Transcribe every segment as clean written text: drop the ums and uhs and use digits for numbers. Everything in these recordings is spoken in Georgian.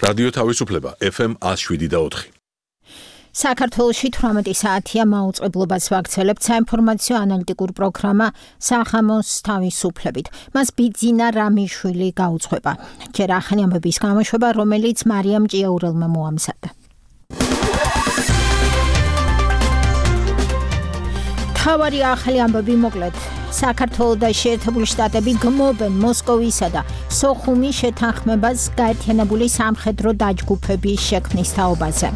რადიო თავისუფლება FM 107.4. საქართველოში 18 საათია მაუწყებლობას ვაქცელებთ საინფორმაციო ანალიტიკურ პროგრამა სახამოს თავისუფლებით. მას ბიძინა რამიშვილი გაუძღვება. ჯერ ახალი ამბების გამოშვება, რომელიც მარიამ ჭიაურელმა მოამზადა. თავარი ახალი ამბები მოკლედ. საქართველოს და შეერთებული შტატები გმობენ მოსკოვისა და სოხუმის შეთანხმებას გაერთიანებული სამხედრო დაჯგუფების შექმნის თაობაზე.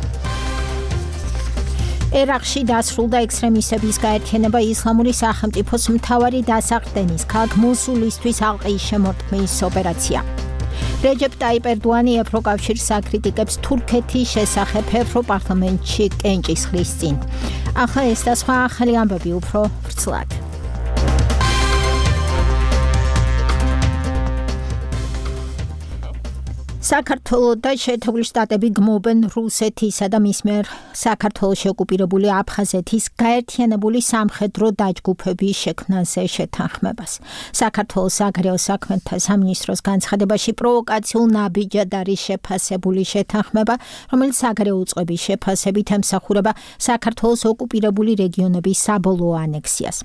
ერაყში დასრულდა ექსტრემისტების გაერთიანება ისლამური სახელმწიფოს მთავარი დასახდენის ქალაქ მოსულისთვის ალყის შემორტყმის ოპერაცია. რეჯეპ ტაიპ ერდოანი ევროკავშირს აკრიტიკებს თურქეთის შესახებ ევროპარლამენტში კენჭისყრის წინ. ახლა ეს და სხვა ახალი ამბები უფრო ვრცლად. საქართველოს და შეერთებული შტატები გმობენ რუსეთისა და მის მიერ საქართველოში ოკუპირებული აფხაზეთის გაერთიანებული სამხედრო დაჯგუფების შექმნაზე შეთანხმებას. საქართველოს საგარეო საქმეთა სამინისტროს განცხადებაში პროვოკაციულ ნაბიჯად არის შეფასებული შეთანხმება, რომელიც საგარეო უწყების შეფასებით ემსახურება საქართველოს ოკუპირებული რეგიონების საბოლოო ანექსიას.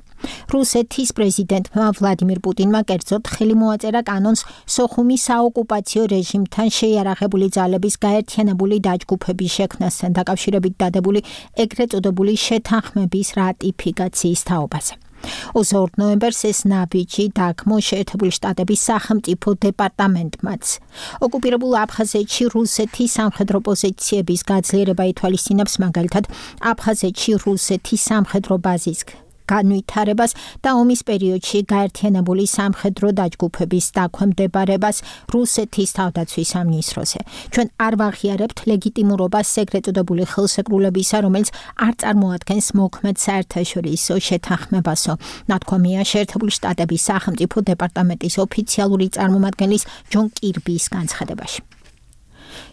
რუსეთის პრეზიდენტმა ვლადიმირ პუტინმა კერძოდ ხელი მოაწერა კანონს სოხუმის საოკუპაციო რეჟიმთან შეიარაღებული ძალების გაერთიანებული დაჯგუფების შექმნასთან დაკავშირებით დადებული ეგრეთ წოდებული შეთანხმების რატიფიკაციის თაობაზე. 22 ნოემბერს ეს ნაბიჯი დაგმო შეერთებული შტატების სახელმწიფო დეპარტამენტმაც. ოკუპირებულ აფხაზეთში რუსეთის სამხედრო პოზიციების გაძლიერება ითვალისწინებს მაგალითად აფხაზეთში რუსეთის სამხედრო ბაზის განვითარებას და ომის პერიოდში გაერთიანებული სამხედრო დაჯგუფების დაქვემდებარებას რუსეთის თავდაცვის სამინისტროზე. ჩვენ არ ვაღიარებთ ლეგიტიმურობას ეგრეთ წოდებული ხელშეკრულებისა, რომელიც არ წარმოადგენს მოქმედ საერთაშორისო შეთანხმებასო. ნათქვამია შეერთებული შტატების სახელმწიფო დეპარტამენტის ოფიციალური წარმომადგენლის ჯონ კირბის განცხადებაში.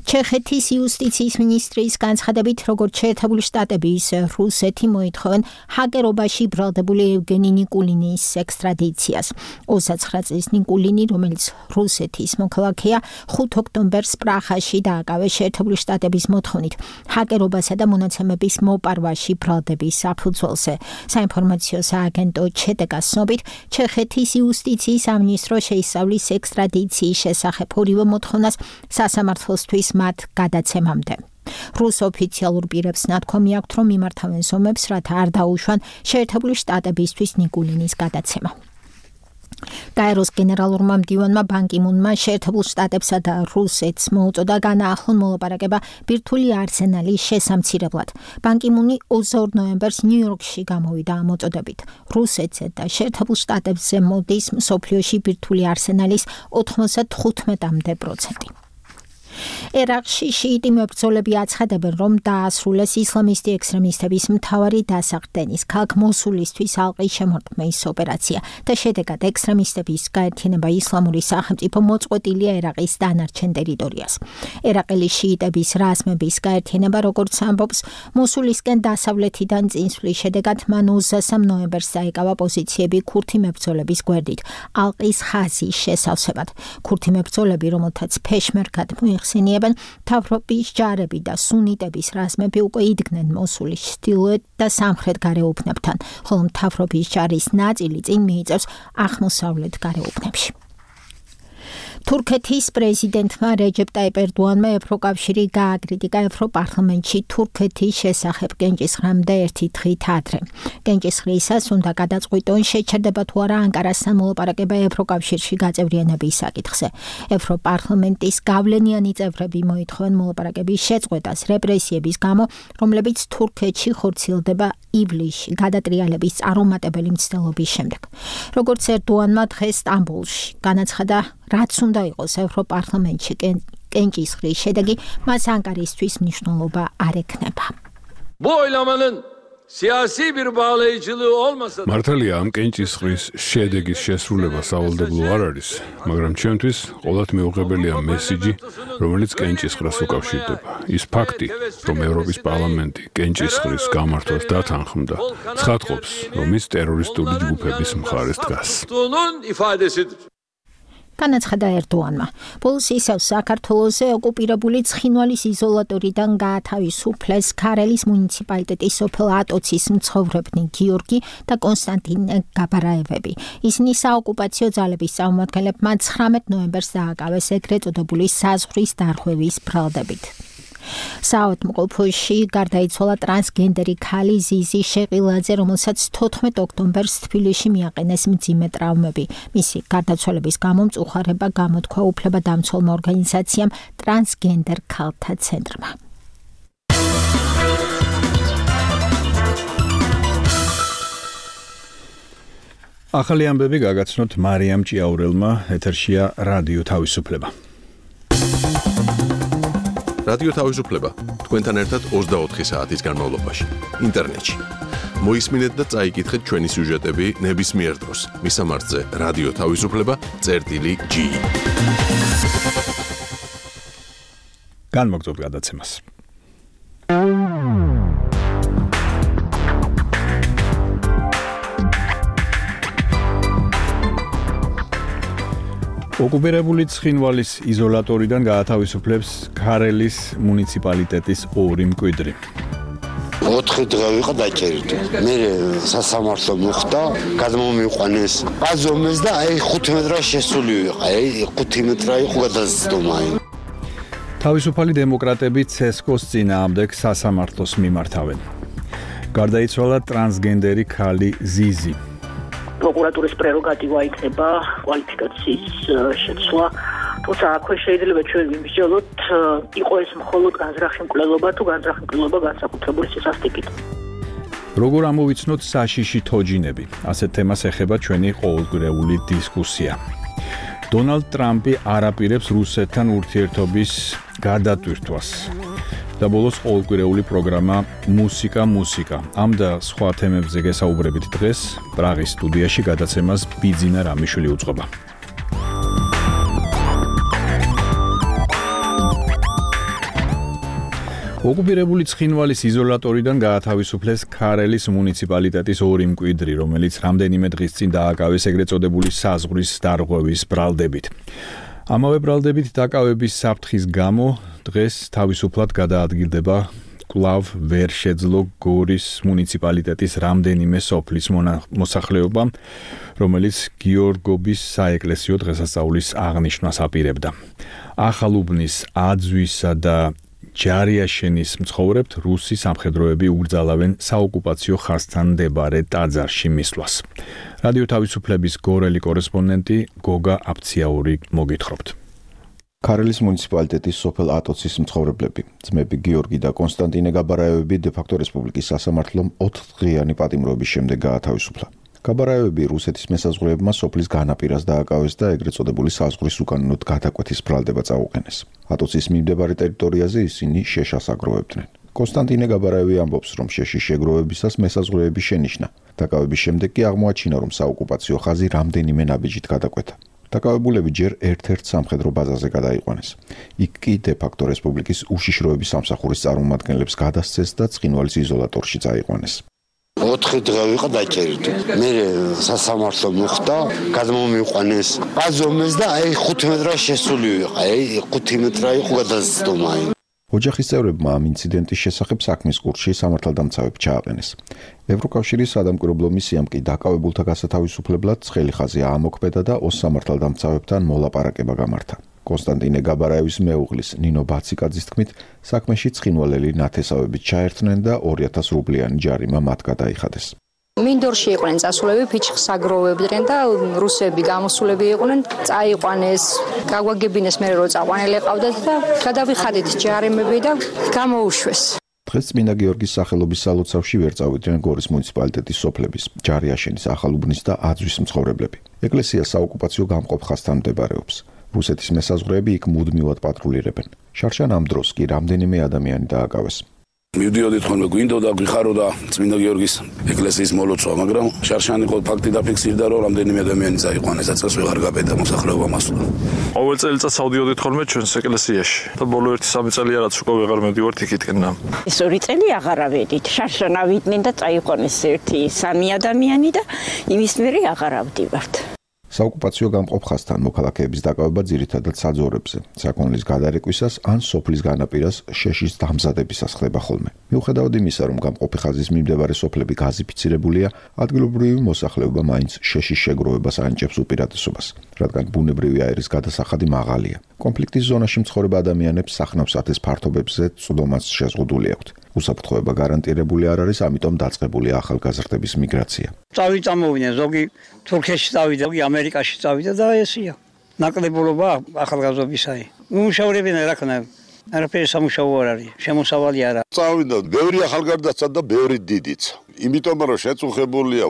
ჩეხეთის იუსტიციის მინისტრის განცხადებით, როგორც შეერთებული შტატები, ისე რუსეთი მოითხოვენ ჰაკერობაში ბრალდებული ევგენი ნიკულინის ექსტრადიციას. 29 წლის ნიკულინი, რომელიც რუსეთის მოქალაქეა, 5 ოქტომბერს პრაღაში დააკავეს შეერთებული შტატების მოთხოვნით ჰაკერობასა და მონაცემების მოპარვაში ბრალდების საფუძველზე. საინფორმაციო სააგენტო ჩეტეკას ცნობით, ჩეხეთის იუსტიციის სამინისტრო შეისწავლის ექსტრადიციის შესახებ ორივე მოთხოვნას სასამართლოსთვის მათ გადაცემამდე. რუს ოფიციალურ პირებს ნათქვამი აქვთ, რომ მიმართავენ ზომებს, რათა არ დაუშვან შეერთებული შტატებისთვის ნიკულინის გადაცემა. გაეროს გენერალურმა მდივანმა ბან კი მუნმა შეერთებულ შტატებსა და რუსეთს მოუწოდა განაახლონ მოლაპარაკება ბირთვული არსენალის შესამცირებლად. ბან კი მუნი 22 ნოემბერს ნიუ-იორკში გამოვიდა ამ მოწოდებით. რუსეთზე და შეერთებულ შტატებზე მოდის მსოფლიოში ბირთვული არსენალის 95-მდე პროცენტი. ერაყში შიიტი მებრძოლები აცხადებენ, რომ დაასრულეს ისლამისტი ექსტრემისტების მთავარი დასახდენის ქალაქ მოსულისთვის ალყის შემორტყმის ოპერაცია და შედეგად ექსტრემისტების გაერთიანება ისლამური სახელმწიფო მოწყვეტილია ერაყის დანარჩენ ტერიტორიას. ერაყელი შიიტების რაზმების გაერთიანება, როგორც ამბობს, მოსულისკენ დასავლეთიდან წინსვლის შედეგად მან 23 ნოემბერს დაიკავა პოზიციები ქურთი მებრძოლების გვერდით ალყის ხაზის შესავსებად. ქურთი მებრძოლები, რომელთაც ფეშმერგად მოიხსენიებენ, მთავრობის ჯარები და სუნიტების რაზმები უკვე იდგნენ მოსულის ჩრდილოეთ და სამხრეთ გარეუბნებთან, ხოლო მთავრობის ჯარის ნაწილი წინ მიიწევს აღმოსავლეთ გარეუბნებში. თურქეთის პრეზიდენტმა რეჯეპ ტაიპ ერდოანმა ევროკავშირი გააკრიტიკა ევროპარლამენტში თურქეთის შესახებ კენჭისყრამდე ერთი დღით ადრე. კენჭისყრისას უნდა გადაწყვიტონ შეჩერდება თუ არა ანკარასთან მოლაპარაკება ევროკავშირში გაწევრიანების საკითხზე. ევროპარლამენტის გავლენიანი წევრები მოითხოვენ მოლაპარაკების შეწყვეტას რეპრესიების გამო, რომლებიც თურქეთში ხორციელდება ივლისში გადატრიალების წარუმატებელი მცდელობის შემდეგ. როგორც ერდოანმა დღეს სტამბოლში განაცხადა, რაც უნდა იყოს ევროპარლამენტში კენჭისყრის შედეგი, მას ანკარისთვის მნიშვნელობა არ ექნება. მართალია ამ კენჭისყრის შედეგის შესრულება სავალდებულო არ არის, მაგრამ ჩემთვის ყოველთ მეუღებელია მესიჯი, რომელიც კენჭისყრას უკავშირდება. ის ფაქტი, რომ ევროპის პარლამენტი კენჭისყრის გამართვას დათანხმდა, ცხადყოფს, რომ ის ტერორისტული ჯგუფების მხარეს დგას. განაცხადა ერდოანმა. ბოლოს ისევ საქართველოზე ოკუპირებული ცხინვალის იზოლატორიდან გაათავისუფლეს ქარელის მუნიციპალიტეტის სოფელ ატოცის მცხოვრებნი გიორგი და კონსტანტინე გაბარაევები. ისინი საოკუპაციო ძალების წარმომადგენლებმა 19 ნოემბერს დააკავეს ეგრეთ წოდებული საზღვრის დარღვევის ბრალდებით. საავადმყოფოში გარდაიცვალა ტრანსგენდერი ქალი ზიზი შეყილაძე, რომელსაც 14 ოქტომბერს თბილისში მიაყენეს მძიმე ტრავმები. მისი გარდაცვალების გამო მწუხარება გამოთქვა უფლებადამცველმა ორგანიზაციამ ტრანსგენდერ ქალთა ცენტრმა. ახალი ამბები გაგაცნოთ მარიამ ჭიაურელმა, ეთერშია რადიო თავისუფლება. რადიო თავისუფლება თქვენთან ერთად 24 საათის განმავლობაში ინტერნეტში. მოისმინეთ და წაიკითხეთ ჩვენი სიუჟეტები ნებისმიერ დროს. მისამართზე რადიო თავისუფლება.gi. განმოგწევთ გადაცემას. ოკუპირებული ცხინვალის იზოლატორიდან გაათავისუფლებს ქარელის მუნიციპალიტეტის 2 მკვიდრი. 4 დღე ვიყო დაჭერილი. მე სასამართლო მოხდა, გადმომიყვანეს ბაზომეს და აი 5 მეტრა შესული ვიყო. აი 5 მეტრა იყო გადაცდომა. თავისუფალი დემოკრატები ცესკოს წინააღმდეგ სასამართლოს მიმართავენ. გარდაიცვალა ტრანსგენდერი ქალი ზიზი. პროკურატურის პრეროგატივა იქნება კვალიფიკაციის შეცვლა. თუმცა აქვე შეიძლება ჩვენ ვიმსჯელოთ, იყო ეს მხოლოდ განზრახი მკვლელობა თუ განზრახი მკვლელობა განსაკუთრებული სისასტიკით. როგორ ამოვიცნოთ საშიში თოჯინები? ასეთ თემას ეხება ჩვენი ყოველკვირეული დისკუსია. დონალდ ტრამპი არ აპირებს რუსეთთან ურთიერთობის გადატვირთვას. და ბოლოს ყოველკვირეული პროგრამა მუსიკა. ამ და სხვა თემებზე გესაუბრებით დღეს პრაღის სტუდიაში გადაცემას ბიძინა რამიშვილი უწყობა. ოკუპირებული ცხინვალის იზოლატორიდან გაათავისუფლეს ქარელის მუნიციპალიტეტის 2 მკვიდრი, რომელიც რამდენიმე დღის წინ დააკავეს ეგრეთ წოდებული საზღვრის დარღვევის ბრალდებით. ამავე ბრალდებით დაკავების საფრთხის გამო დღეს თავისუფლად გადაადგილდება კვლავ ვერ შეძლო გორის მუნიციპალიტეტის რამდენიმე სოფლის მოსახლეობა, რომელიც გიორგობის საეკლესიო დღესასწაულის აღნიშვნას აპირებდა. ახალუბნის, აძვისა და ჯარიაშენის მცხოვრებთ რუსი სამხედროები უბრძალავენ საოკუპაციო ხაზთან მდებარე ტაძარში მისვლას. რადიო თავისუფლების გორელი კორესპონდენტი გოგა აფციაური მოგითხრობთ. ქარელის მუნიციპალიტეტის სოფელ ატოცის მცხოვრებლები, ძმები გიორგი და კონსტანტინე გაბარაევები დე-ფაქტო რესპუბლიკის სასამართლომ 4 დღიანი პატიმრობის შემდეგ გაათავისუფლა. გაბარაევები რუსეთის მესაზღვრეებმა სოფლის განაპირას დააკავეს და ეგრეთ წოდებული საზღვრის უკანონოდ გადაკვეთის ბრალდება წაუყენეს. ატოცის მიმდებარე ტერიტორიაზე ისინი შეშას აგროვებდნენ. კონსტანტინე გაბარაევი ამბობს, რომ შეშის შეგროვებისას მესაზღვრეები შენიშნა. დაკავების შემდეგ კი აღმოაჩინა, რომ საოკუპაციო ხაზი რამდენიმე ნაბიჯით გადაკვეთა. დაკავებულები ჯერ ერთ-ერთ სამხედრო ბაზაზე გადაიყვანეს. იქ კი დე-ფაქტო რესპუბლიკის უშიშროების სამსახურის წარმომადგენლებს გადასცეს და ცხინვალის იზოლატორში წაიყვანეს. 4 დღე ვიყო დაჭერილი. მე სასამართლო მოხდა, გადმომიყვანეს ბაზომეს და აი 5 მეტრა შესული ვიყო. აი 5 მეტრა იყო გადაცდომა. ოჯახის წევრებმა ამ ინციდენტის შესახებ საქმის კურსში სამართალდამცავებს ჩააყენეს. ევროკავშირის სადამკვირვებლო მისიამ კი დაკავებულთა გასათავისუფლებლად ცხელი ხაზი აამოქმედა და 20 სამართალდამცავებთან მოლაპარაკება გამართა. კონსტანტინე გაბარაევის მეუღლის ნინო ბაციკაძის თქმით, საქმეში ცხინვალელი ნათესავებით ჩაერთნენ და 2000 რუბლიანი ჯარიმა მათ გადაიხადეს. მინდორში იყვნენ წასულები, ფიჩხს აგროვებდნენ და რუსები გამოსულები იყვნენ, წაიყვანეს, გაგვაგებინეს მე რო წაყვანელი ყავდათ და გადავიხადეთ ჯარიმები და გამოუშვეს. დღეს წმინდა გიორგის სახელობის სალოცავში ვერ წავიდნენ გორის მუნიციპალიტეტის სოფლების, ჯარიაშენის, ახალუბნის და აძვის მცხოვრებლები. ეკლესია საოკუპაციო გამყოფ ხაზთან მდებარეობს. რუსეთის მესაზღვრეები იქ მუდმივად პატრულირებენ. შარშან ამ დროს კი რამდენიმე ადამიანი დააკავეს. მივდიოდით ხოლმე გვინდოდა გვიხაროდა წმინდა გიორგის ეკლესიის მოლოცვა, მაგრამ შარშანი ყოველ ფაქტი დაფიქსირდა, რომ რამდენიმე ადამიანი წაიყვანეს და წელს ვეღარ გაბედა მოსახლეობა მასულა. ყოველ წელიწადს ავდიოდით ხოლმე ჩვენს ეკლესიაში და ბოლო 1-3 წელია რაც უკვე ვეღარ მივდივართ იქითკენ. ეს 2 წელი აღარ ავედით. შარშან ავიდნენ და წაიყვანეს 1-3 ადამიანი და იმის მერე აღარ ავდივართ. საოკუპაციო გამყოფ ხაზთან მოქალაქეების დაკავება ძირითადად საძოვრებზე, საქონლის გადარეკვისას ან სოფლის განაპირას შეშის დამზადებისას ხდება ხოლმე. მიუხედავად იმისა, რომ გამყოფი ხაზის მიმდებარე სოფლები გაზიფიცირებულია, ადგილობრივი მოსახლეობა მაინც შეშის შეგროვებას ანიჭებს უპირატესობას, რადგან ბუნებრივი აირის გადასახადი მაღალია. კონფლიქტის ზონაში მცხოვრებ ადამიანებს სახნავ-სათეს ფართობებზე წვდომაც შეზღუდული აქვთ. უსაფრთხოება გარანტირებული არ არის, ამიტომ დაწყებულია ახალგაზრდების მიგრაცია. წამოვიდნენ, ზოგი თურქეთში წავიდა, ზოგი ამერიკაში წავიდა და ესია. ნაკლებულობა ახალგაზრდობისაი. უმუშავრებენ რა ქნა. არაფერი სამუშაო არ არის, შემოსავალი არა. წავიდა, ბევრი ახალგაზრდაცა და ბევრი დიდიც. იმიტომ რომ შეწუხებულია.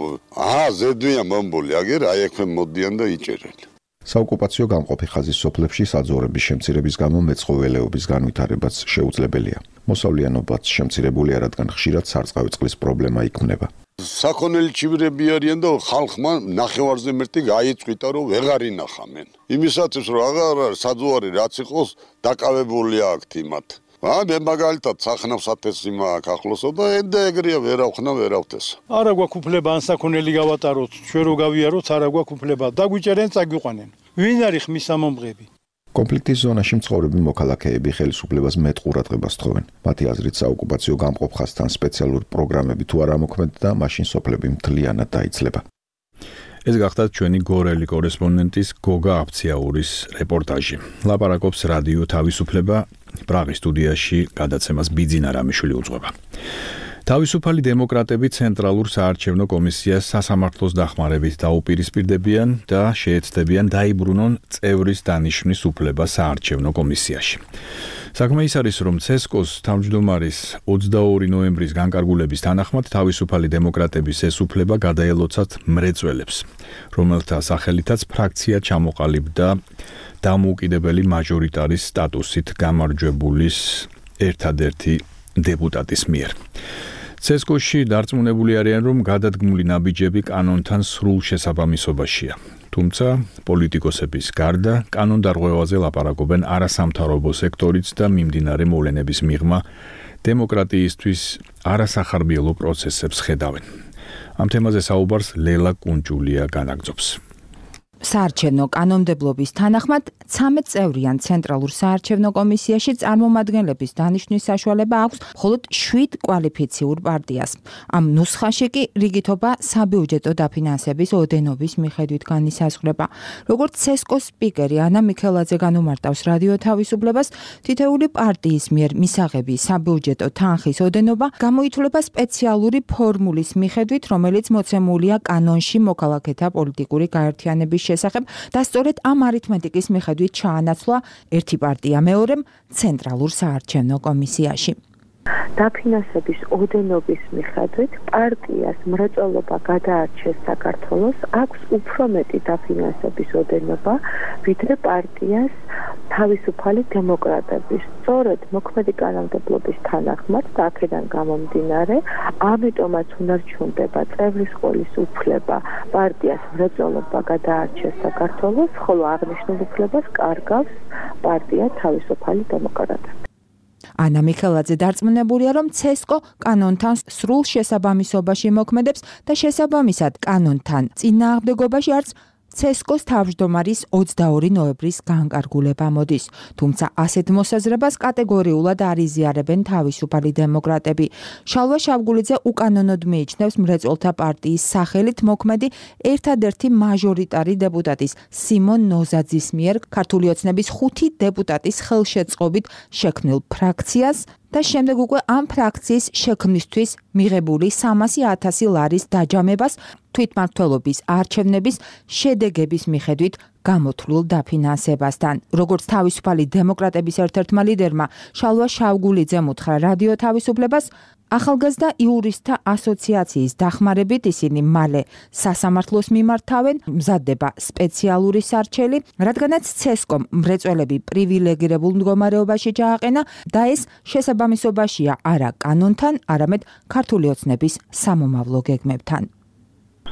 ზედვიან მომბული, აგერ აი ექვე მოდიან და იჭერენ. საოკუპაციო გამყოფი ხაზის სოფლებში საძოვრების შემცირების გამო მეცხოველეობის განვითარებაც შეუძლებელია. მოსავლიანობაც შემცირებულია, რადგან ხშირად სარწყავი წყლის პრობლემა იქმნება. საქონელი ჩივრები არიან და ხალხმა ნახევარზე მეტი გაიწვიტა, რომ ვეღარ ინახამენ. იმისათვის რომ აღარ არის საძოვარი რაც იყოს დაკავებული აქვთ იმათ. მე მაგალითად სახნავ-სათესი მაქვს ახლოსო და ეგრეა ვერავხნა ვერავთეს. არა გვაქვს უფლება ან საქონელი გავატაროთ, ჩვენ რო გავიაროთ, არა გვაქვს უფლება. დაგვიჭერენ, წაგვიყვანენ. ვინ არის ხმის სამომღები? კონფლიქტის ზონაში მცხოვრები მოქალაქეები ხელისუფლებას მეტ ყურადღებას თხოვენ. მათი აზრით, საოკუპაციო გამყოფ ხაზთან სპეციალური პროგრამები თუ არ ამოქმედდა, მაშინ სოფლები მთლიანად დაიცლება. ეს გახდა ჩვენი გორელი კორესპონდენტის გოგა აფციაურის რეპორტაჟი. ლაპარაკობს რადიო თავისუფლება, პრაღის სტუდიაში გადაცემას ბიძინა რამიშვილი უძღვება. თავისუფალი დემოკრატები ცენტრალურ საარჩევნო კომისიას სასამართლოს დახმარებით დაუპირისპირდებიან და შეეცდებიან დაიბრუნონ წევრის დანიშვნის უფლება საარჩევნო კომისიაში. საქმე ის არის, რომ ცესკოს თავმჯდომარის 22 ნოემბრის განკარგულების თანახმად თავისუფალი დემოკრატების ეს უფლება გადაელოცათ მრეწველებს, რომელთა სახელითაც ფრაქცია ჩამოყალიბდა დამოუკიდებელი მაჟორიტარის სტატუსით გამარჯვებულის ერთადერთი დეპუტატის მიერ. ცესკოში დარწმუნებული არიან, რომ გადადგმული ნაბიჯები კანონთან სრულ შესაბამისობაშია. თუმცა პოლიტიკოსების გარდა კანონდარღვევაზე ლაპარაკობენ არასამთავრობო სექტორიც და მიმდინარე მოვლენების მიღმა დემოკრატიისთვის არასახარბიელო პროცესებს ხედავენ. ამ თემაზე საუბარს ლელა კუნჭულია განაგრძობს. საარჩევნო კანონმდებლობის თანახმად 13 წევრიან ცენტრალურ საარჩევნო კომისიაში წარმომადგენლების დანიშვნის საშუალება აქვს მხოლოდ 7 კვალიფიციურ პარტიას. ამ ნუსხაში კი რიგითობა საბიუჯეტო დაფინანსების ოდენობის მიხედვით განისაზღვრება. როგორც ცესკოს სპიკერი ანა მიქელაძე განუმარტავს რადიო თავისუფლებას, თითეული პარტიის მიერ მისაღები საბიუჯეტო თანხის ოდენობა გამოითვლება სპეციალური ფორმულის მიხედვით, რომელიც მოცემულია კანონში მოქალაქეთა პოლიტიკური გაერთიანების შესახებ და სწორედ ამ არითმეტიკის მიხედვით ჩაანაცვლა ერთი პარტია მეორემ ცენტრალურ საარჩევნო კომისიაში. დაფინანსების ოდენობის მიხედვით პარტიას მრეწველობა გადაარჩეს საქართველოს აქვს უფრო მეტი დაფინანსების ოდენობა, ვიდრე პარტიას თავისუფალი დემოკრატების. სწორედ მოქმედი კანონმდებლობის თანახმად და აქედან გამომდინარე, ამიტომაც უნარჩუნდება წევრის ყოლის უფლება პარტიას მრეწველობა გადაარჩეს საქართველოს, ხოლო აღნიშნულ უფლებას კარგავს პარტია თავისუფალი დემოკრატები. ანა მიქელაძე დარწმუნებულია, რომ ცესკო კანონთან სრულ შესაბამისობაში მოქმედებს და შესაბამისად კანონთან წინააღმდეგობაში არც ცესკოს თავმჯდომარის 22 ნოემბრის განკარგულება მოდის. თუმცა ასეთ მოსაზრებას კატეგორიულად არ იზიარებენ თავისუფალი დემოკრატები. შალვა შავგულიძე უკანონოდ მიიჩნევს მრეწველთა პარტიის სახელით მოქმედი ერთადერთი მაჟორიტარი დეპუტატის სიმონ ნოზაძის მიერ ქართული ოცნების 5 დეპუტატის ხელშეწყობით შექმნილ ფრაქციას და შემდეგ უკვე ამ ფრაქციის შექმნისთვის მიღებული 300,000 ლარის დაჯამებას თვითმმართველობის არჩევნების შედეგების მიხედვით გამოთვლილ დაფინანსებასთან. როგორც თავისუფალი დემოკრატების ერთ-ერთმა ლიდერმა შალვა შავგულიძემ უთხრა რადიო თავისუფლებას, ახალგაზრდა იურისტთა ასოციაციის დახმარებით ისინი მალე სასამართლოს მიმართავენ, მზადდება სპეციალური სარჩელი, რადგანაც ცესკომ მრეწველები პრივილეგირებულ მდგომარეობაში ჩააყენა და ეს შესაბამისობაშია არა კანონთან, არამედ ქართული ოცნების სამომავლო გეგმებთან.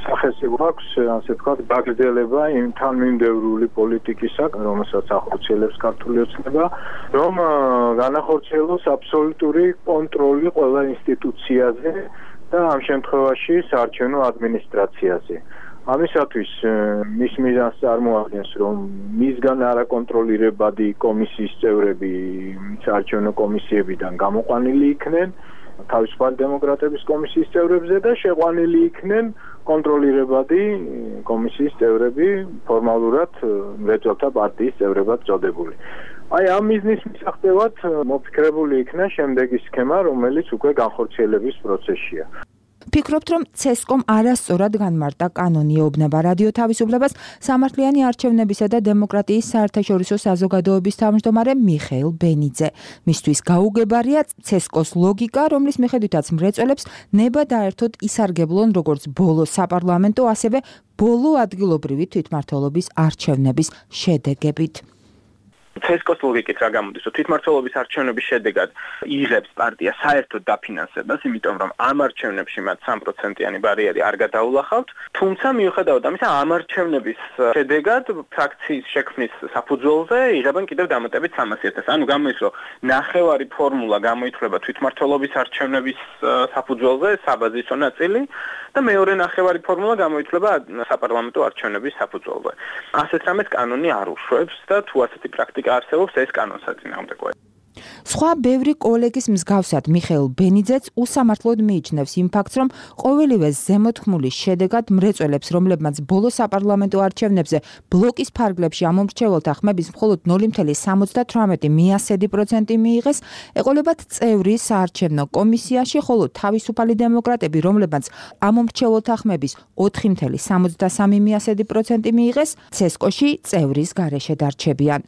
სახესი გვაქვს, ასე ვთქვათ, გაგრძელება იმ თანმიმდევრული პოლიტიკისა, რომელსაც ახორციელებს ქართული ოცნება, რომ განახორციელოს აბსოლუტური კონტროლი ყველა ინსტიტუციაზე და ამ შემთხვევაში საარჩევნო ადმინისტრაციაზე. ამისათვის მის მიზანს წარმოადგენს, რომ მისგან არაკონტროლირებადი კომისიის წევრები საარჩევნო კომისიებიდან გამოყვანილი იქნენ თავისუფალი დემოკრატების კომისიის წევრებზე და შეყვანილი იქნენ კონტროლირებადი კომისიის წევრები ფორმალურად მრეწველთა პარტიის წევრებად წოდებული. აი ამ მიზნის მისაღებად მოფიქრებული იქნა შემდეგი სქემა, რომელიც უკვე განხორციელების პროცესშია. ფიქრობთ, რომ ცესკომ არასწორად განმარტა კანონი ეუბნება რადიო თავისუფლებას სამართლიანი არჩევნებისა და დემოკრატიის საერთაშორისო საზოგადოების თავმჯდომარე მიხეილ ბენიძე. მისთვის გაუგებარია ცესკოს ლოგიკა, რომლის მიხედვითაც მრეწველებს ნება დაერთოდ ისარგებლონ როგორც ბოლო საპარლამენტო, ასევე ბოლო ადგილობრივი თვითმმართველობის არჩევნების შედეგებით. ცესკოს ლოგიკით რა გამოდის, რომ თვითმმართველობის არჩევნების შედეგად იღებს პარტია საერთოდ დაფინანსებას, იმიტომ რომ ამ არჩევნებში მათ 3%-იანი ბარიერი არ გადაულახავთ, თუმცა მიუხედავად ამისა, ამ არჩევნების შედეგად ფრაქციის შექმნის საფუძველზე იღებენ კიდევ დამატებით 300,000. ანუ გამოდის, რომ ნახევარი ფორმულა გამოითვლება თვითმმართველობის არჩევნების საფუძველზე, საბაზისო ნაწილი და მეორე ნახევარი ფორმულა გამოითვლება საპარლამენტო არჩევნების საფუძველზე. ასეთ რამეს კანონი არ უშვებს და თუ ასეთი პრაქტიკა არსებობს, ეს კანონს აწინააღმდეგოა. სხვა ბევრი კოლეგის მსგავსად მიხეილ ბენიძეც უსამართლოდ მიიჩნევს იმ ფაქტს, რომ ყოველივე ზემოთქმულის შედეგად მრეწველებს, რომლებმაც ბოლო საპარლამენტო არჩევნებზე ბლოკის ფარგლებში ამომრჩეველთა ხმების მხოლოდ 0.78% მიიღეს, ეყოლებათ წევრი საარჩევნო კომისიაში, ხოლო თავისუფალი დემოკრატები, რომლებმაც ამომრჩეველთა ხმების 4.73% მიიღეს, ცესკოში წევრის გარეშე დარჩებიან.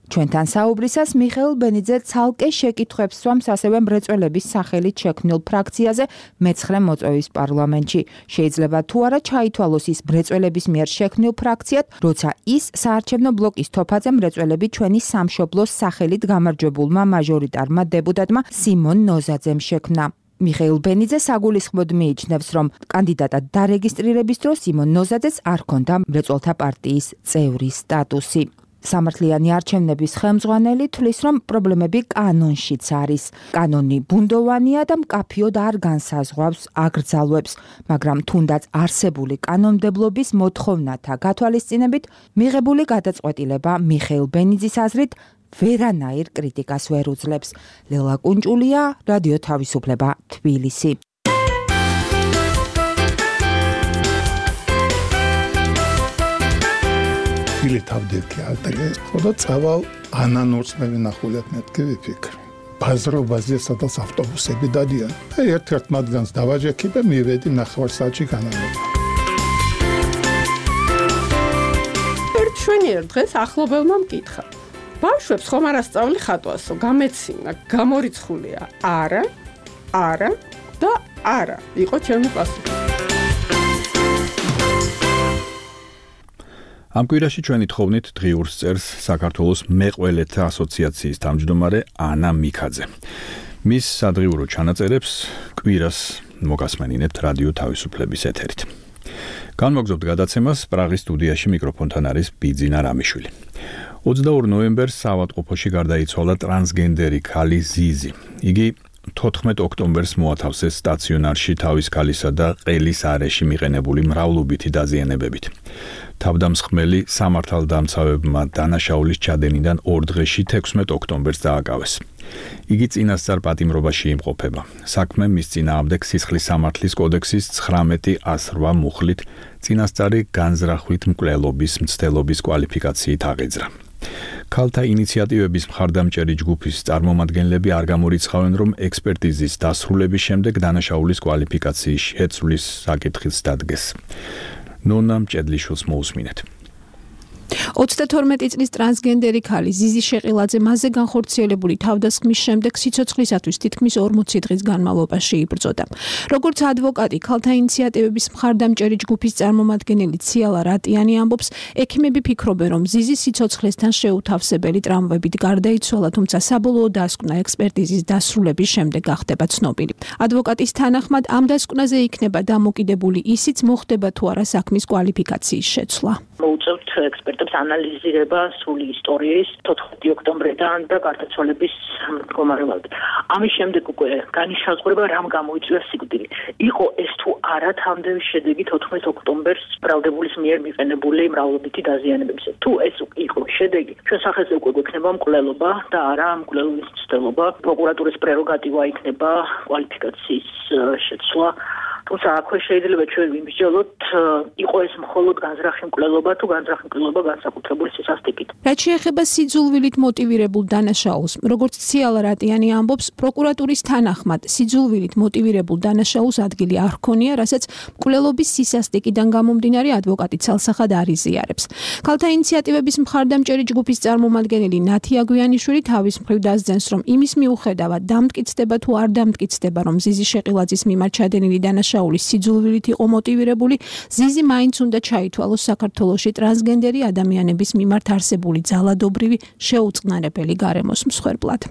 ჩვენთან საუბრისას მიხეილ ბენიძე ცალკე შეკითხვებს სვამს ასევე მრეწველების სახელით შექმნილ ფრაქციაზე მე-9 მოწვევის პარლამენტში. შეიძლება თუ არა ჩაითვალოს ის მრეწველების მიერ შექმნილ ფრაქციად, როცა ის საარჩევნო ბლოკის თოფაზე მრეწველები ჩვენი სამშობლოს სახელით გამარჯვებულმა მაჟორიტარმა დეპუტატმა სიმონ ნოზაძემ შექმნა. მიხეილ ბენიძე საგულისხმოდ მიიჩნევს, რომ კანდიდატად დარეგისტრირების დროს სიმონ ნოზაძეს არ ჰქონდა მრეწველთა პარტიის წევრის სტატუსი. სამართლიანი არჩევნების ხელმძღვანელი თვლის, რომ პრობლემები კანონშიც არის. კანონი ბუნდოვანია და მკაფიოდ არ განსაზღვრავს აკრძალვებს, მაგრამ თუნდაც არსებული კანონმდებლობის მოთხოვნათა გათვალისწინებით მიღებული გადაწყვეტილება მიხეილ ბენიძის აზრით ვერანაირ კრიტიკას ვერ უძლებს. ლელა კუნჭულია, რადიო თავისუფლება, თბილისი. თავდექი ალტეგე ხოდა წავალ ანანურს მე ვინახულებ მეთქი ვიფიქრე ბაზრობაზე სადაც ავტობუსები დადიან და ერთ-ერთ მათგანს დავაჯექი და მივედი ნახევარსაათში განალობა ერთ შვენიერ დღეს ახლობელმა მკითხა ბავშვებს ხომ არ ასწავლი ხატვასო გამეცინა გამორიცხულია არა და არა იყო ჩემი პასუხი ამ კვირაში ჩვენი თხოვნით დღიურს წერს საქართველოს მეყველეთა ასოციაციის თავმჯდომარე ანა მიქაძე. მის სადღიურო ჩანაწერებს კვირას მოგასმენინებთ რადიო თავისუფლების ეთერით. განმოგზავნებთ გადაცემას პრაღის სტუდიაში მიკროფონთან არის ბიძინა რამიშვილი. 22 ნოემბერს საავადმყოფოში გარდაიცვალა ტრანსგენდერი ქალი ზიზი. იგი 14 ოქტომბერს მოათავსეს სტაციონარში თავის ქალისა და ყელის არეში მიყენებული მრავლობითი დაზიანებებით. თავდამსხმელი სამართალდამცავებმა დანაშაულის ჩადენიდან 2 დღეში 16 ოქტომბერს დააკავეს. იგი წინასწარ პატიმრობაში იმყოფება. საქმე მის წინააღმდეგ სისხლის სამართლის კოდექსის 1908 მუხლით წინასწარი განზრახვით მკვლელობის მცდელობის კვალიფიკაციით აღიძრა. ქალთა ინიციატივების მხარდამჭერი ჯგუფის წარმომადგენლები არ გამორიცხავენ, რომ ექსპერტიზის დასრულების შემდეგ დანაშაულის კვალიფიკაციის შეცვლის საკითხიც დადგეს. ნონა მჭედლიშვილს მოусმინეთ. 32 წლის ტრანსგენდერი ქალი ზიზი შეყილაძე მასზე განხორციელებული თავდასხმის შემდეგ სიცოცხლისათვის თითქმის 40 დღის განმავლობაში იბრძოდა. როგორც ადვოკატი, ქალთა ინიციატივების მხარდამჭერი ჯგუფის წარმომადგენელი ციალა რატიანი ამბობს, ექიმები ფიქრობენ, რომ ზიზი სიცოცხლესთან შეუთავსებელი ტრამვებით გარდაიცვალა, თუმცა საბოლოო დასკვნა ექსპერტიზის დასრულების შემდეგ გახდება ცნობილი. ადვოკატის თანახმად, ამ დასკვნაზე იქნება დამოკიდებული ისიც, მოხდება თუ არა საქმის კვალიფიკაციის შეცვლა. მოუწევთ ექსპერტებს ანალიზირება სრული ისტორიის 14 ოქტომბრიდან და გარდაცვალების მდგომარეობამდე. ამის შემდეგ უკვე განისაზღვრება რამ გამოიწვია სიკვდილი. იყო ეს თუ არა თანმდევი შედეგი 14 ოქტომბერს ბრალდებულის მიერ მიყენებული მრავლობითი დაზიანებებისა. თუ ეს იყო შედეგი, ჩვენ სახეზე უკვე გვექნება მკვლელობა და არა მკვლელობის მცდელობა. პროკურატურის პრეროგატივა იქნება კვალიფიკაციის შეცვლა. თუმცა აქვე შეიძლება ჩვენ ვიმსჯელოთ, იყო ეს მხოლოდ განზრახი მკვლელობა თუ განზრახი მკვლელობა განსაკუთრებული სისასტიკით. რაც შეეხება სიძულვილით მოტივირებულ დანაშაულს, როგორც ციალა რატიანი ამბობს, პროკურატურის თანახმად სიძულვილით მოტივირებულ დანაშაულს ადგილი არ ჰქონია, რასაც მკვლელობის სისასტიკიდან გამომდინარე ადვოკატი ცალსახად არ იზიარებს. ქალთა ინიციატივების მხარდამჭერი ჯგუფის წარმომადგენელი ნათი აგვიანიშვილი თავის მხრივ დასძენს, რომ იმის მიუხედავად დამტკიცდება თუ არ დამტკიცდება, რომ ზიზი შეყილაძის მიმართ ჩადენილი დანაშაული სიძულვილით იყო მოტივირებული, ზიზი მაინც უნდა ჩაითვალოს საქართველოში ტრანსგენდერი ადამიანების მიმართ არსებული ძალადობრივი შეუწყნარებელი გარემოს მსხვერპლად.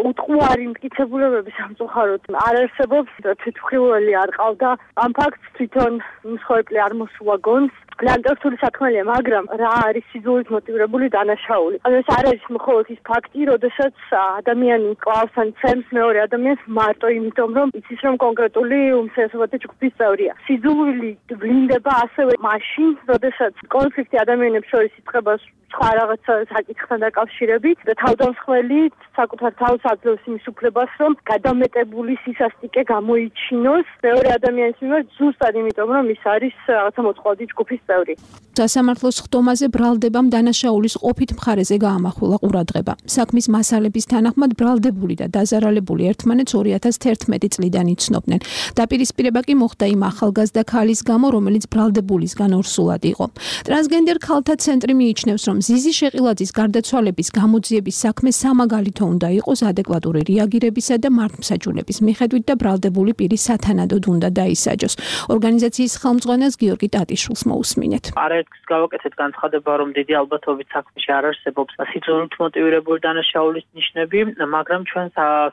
უტყუარი მტკიცებულებები სამწუხაროდ არ არსებობს, თვითმხილველი არ ყავდა. ამ ფაქტს თვითონ მსხვერპლი არ მოსულა გონს. ლანდორფული საქმეა, მაგრამ რა არის სიძულვილით მოტივირებული დანაშაული? ანუ ეს არ არის მხოლოდ ის ფაქტი, როდესაც ადამიანი კლავს ან ცემს მეორე ადამიანს მარტო იმიტომ, რომ იცის, რომ კონკრეტული უმცირესობათა ჯგუფის წევრია. სიძულვილი ვლინდება ასევე მაშინ, როდესაც კონფლიქტი ადამიანებს შორის იწყება სხვა რაღაცა საკითხთან დაკავშირებით და თავდამსხმელი საკუთარ თავს აძლევს იმის უფლებას, რომ გადამეტებული სისასტიკე გამოიჩინოს მეორე ადამიანის მიმართ ზუსტად იმიტომ, რომ ის არის რაღაცა მოწყვლადი ჯგუფის წევრი. სასამართლოს ხდომაზე ბრალდებამ დანაშაულის ყოფით მხარეზე გაამახვილა ყურადღება. საქმის მასალების თანახმად ბრალდებული და დაზარალებული ერთმანეთს 2011 წლიდან იცნობდნენ. დაპირისპირება კი მოხდა იმ ახალგაზრდა ქალის გამო, რომელიც ბრალდებულისგან ორსულად იყო. ტრანსგენდერ ქალთა ცენტრი მიიჩნევს, რომ ზიზი შეყილაძის გარდაცვალების გამოძიების საქმე სამაგალითო უნდა იყოს ადეკვატური რეაგირებისა და მართლმსაჯულების მიხედვით და ბრალდებული პირი სათანადოდ უნდა დაისაჯოს. ორგანიზაციის ხელმძღვანელს გიორგი ტატიშვილს მოусმინეთ. არაერთგზის გავაკეთეთ განცხადება, რომ დიდი ალბათობით საქმეში არ არსებობს სიძულვილით მოტივირებული დანაშაულის ნიშნები, მაგრამ ჩვენ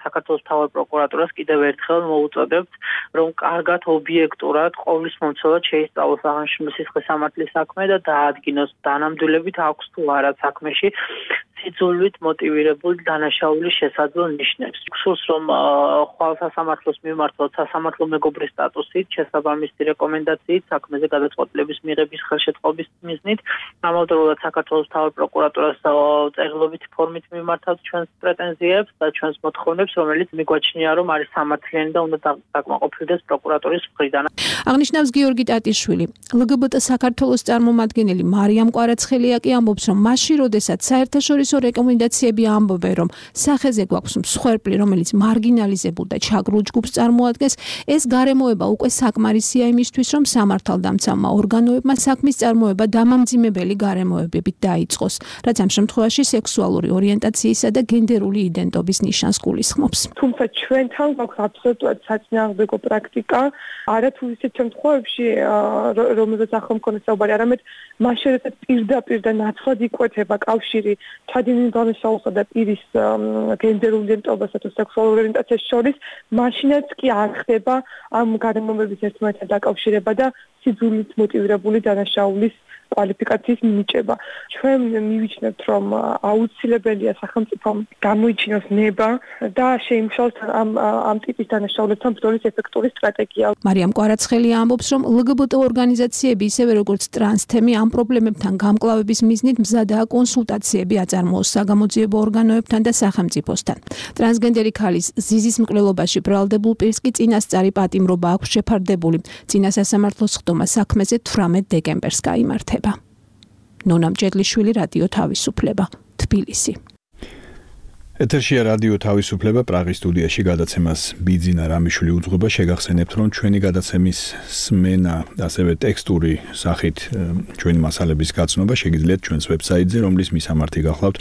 საქართველოს მთავარ პროკურატურას კიდევ ერთხელ მოუწოდებთ, რომ კარგად ობიექტურად ყოვლის მომცველად შეისწავლოს აღნიშნული სისხლის სამართლის საქმე და დაადგინოს დანამდვილებით აქვს თუ არა საქმეში სიძულვილით მოტივირებული დანაშაულის შესაძლო ნიშნებს. გსურს რომ ხვალ სასამართლოს მიმართოთ სასამართლო მეგობრის სტატუსით, შესაბამისი რეკომენდაციით, საქმეზე გადაწყვეტილების მიღების ხელშეწყობის მიზნით, ამავდროულად საქართველოს მთავარ პროკურატურას წერილობით ფორმით მიმართავთ ჩვენს პრეტენზიებს და ჩვენს მოთხოვნებს, რომელიც მიგვაჩნია, რომ არის სამართლიანი და უნდა დაკმაყოფილდეს პროკურატურის მხრიდან. აღნიშნავს გიორგი ტატიშვილი. LGBT საქართველოს წარმომადგენელი მარიამ კვარაცხელია კი ამბობს, რომ მაშინ, როდესაც საერთაშორისო რეკომენდაციები ამბობენ, რომ სახეზე გვაქვს მსხვერპლი, რომელიც მარგინალიზებულ და ჩაგრულ ჯგუფს წარმოადგენს, ეს გარემოება უკვე საკმარისია იმისთვის, რომ სამართალდამცავმა ორგანოებმა საქმის წარმოება დამამძიმებელი გარემოებებით დაიწყოს, რაც ამ შემთხვევაში სექსუალური ორიენტაციისა და გენდერული იდენტობის ნიშანს გულისხმობს. თუმცა ჩვენთან გვაქვს აბსოლუტურად საწინააღმდეგო პრაქტიკა, არა თუ ისეთ შემთხვევებში, რომელზეც ახლა მქონდა საუბარი, არამედ მაშინ, როდესაც პირდაპირ და ნაცვლად იკვეთება კავშირი ჩადენილ დანაშაულსა და პირის გენდერულ იდენტობასა თუ სექსუალურ ორიენტაციას შორის, მაშინაც კი არ ხდება ამ გარემოებების ერთმანეთთან დაკავშირება და სიძულვილით მოტივირებული დანაშაულის კვალიფიკაციის მინიჭება. ჩვენ მივიჩნევთ, რომ აუცილებელია სახელმწიფომ გამოიჩინოს ნება და შეიმუშაოს ამ ტიპის დანაშაულებთან ბრძოლის ეფექტური სტრატეგია. მარიამ კვარაცხელია ამბობს, რომ LGBT ორგანიზაციები, ისევე როგორც ტრანსთემი, ამ პრობლემებთან გამკლავების მიზნით მზადაა კონსულტაციები აწარმოოს საგამოძიებო ორგანოებთან და სახელმწიფოსთან. ტრანსგენდერი ქალის ზიზის მკვლელობაში ბრალდებულ პირს კი წინასწარი პატიმრობა აქვს შეფარდებული. წინა სასამართლოს ხდომა საქმეზე 18 დეკემბერს გაიმართება. ნონა მჭედლიშვილი, რადიო თავისუფლება, თბილისი. ეთერშია რადიო თავისუფლება, პრაღის სტუდიაში გადაცემას ბიძინა რამიშვილი უძღვება. შეგახსენებთ, რომ ჩვენი გადაცემის სმენა, ასევე ტექსტური სახით ჩვენი მასალების გაცნობა შეგიძლიათ ჩვენს ვებსაიტზე, რომლის მისამართი გახლავთ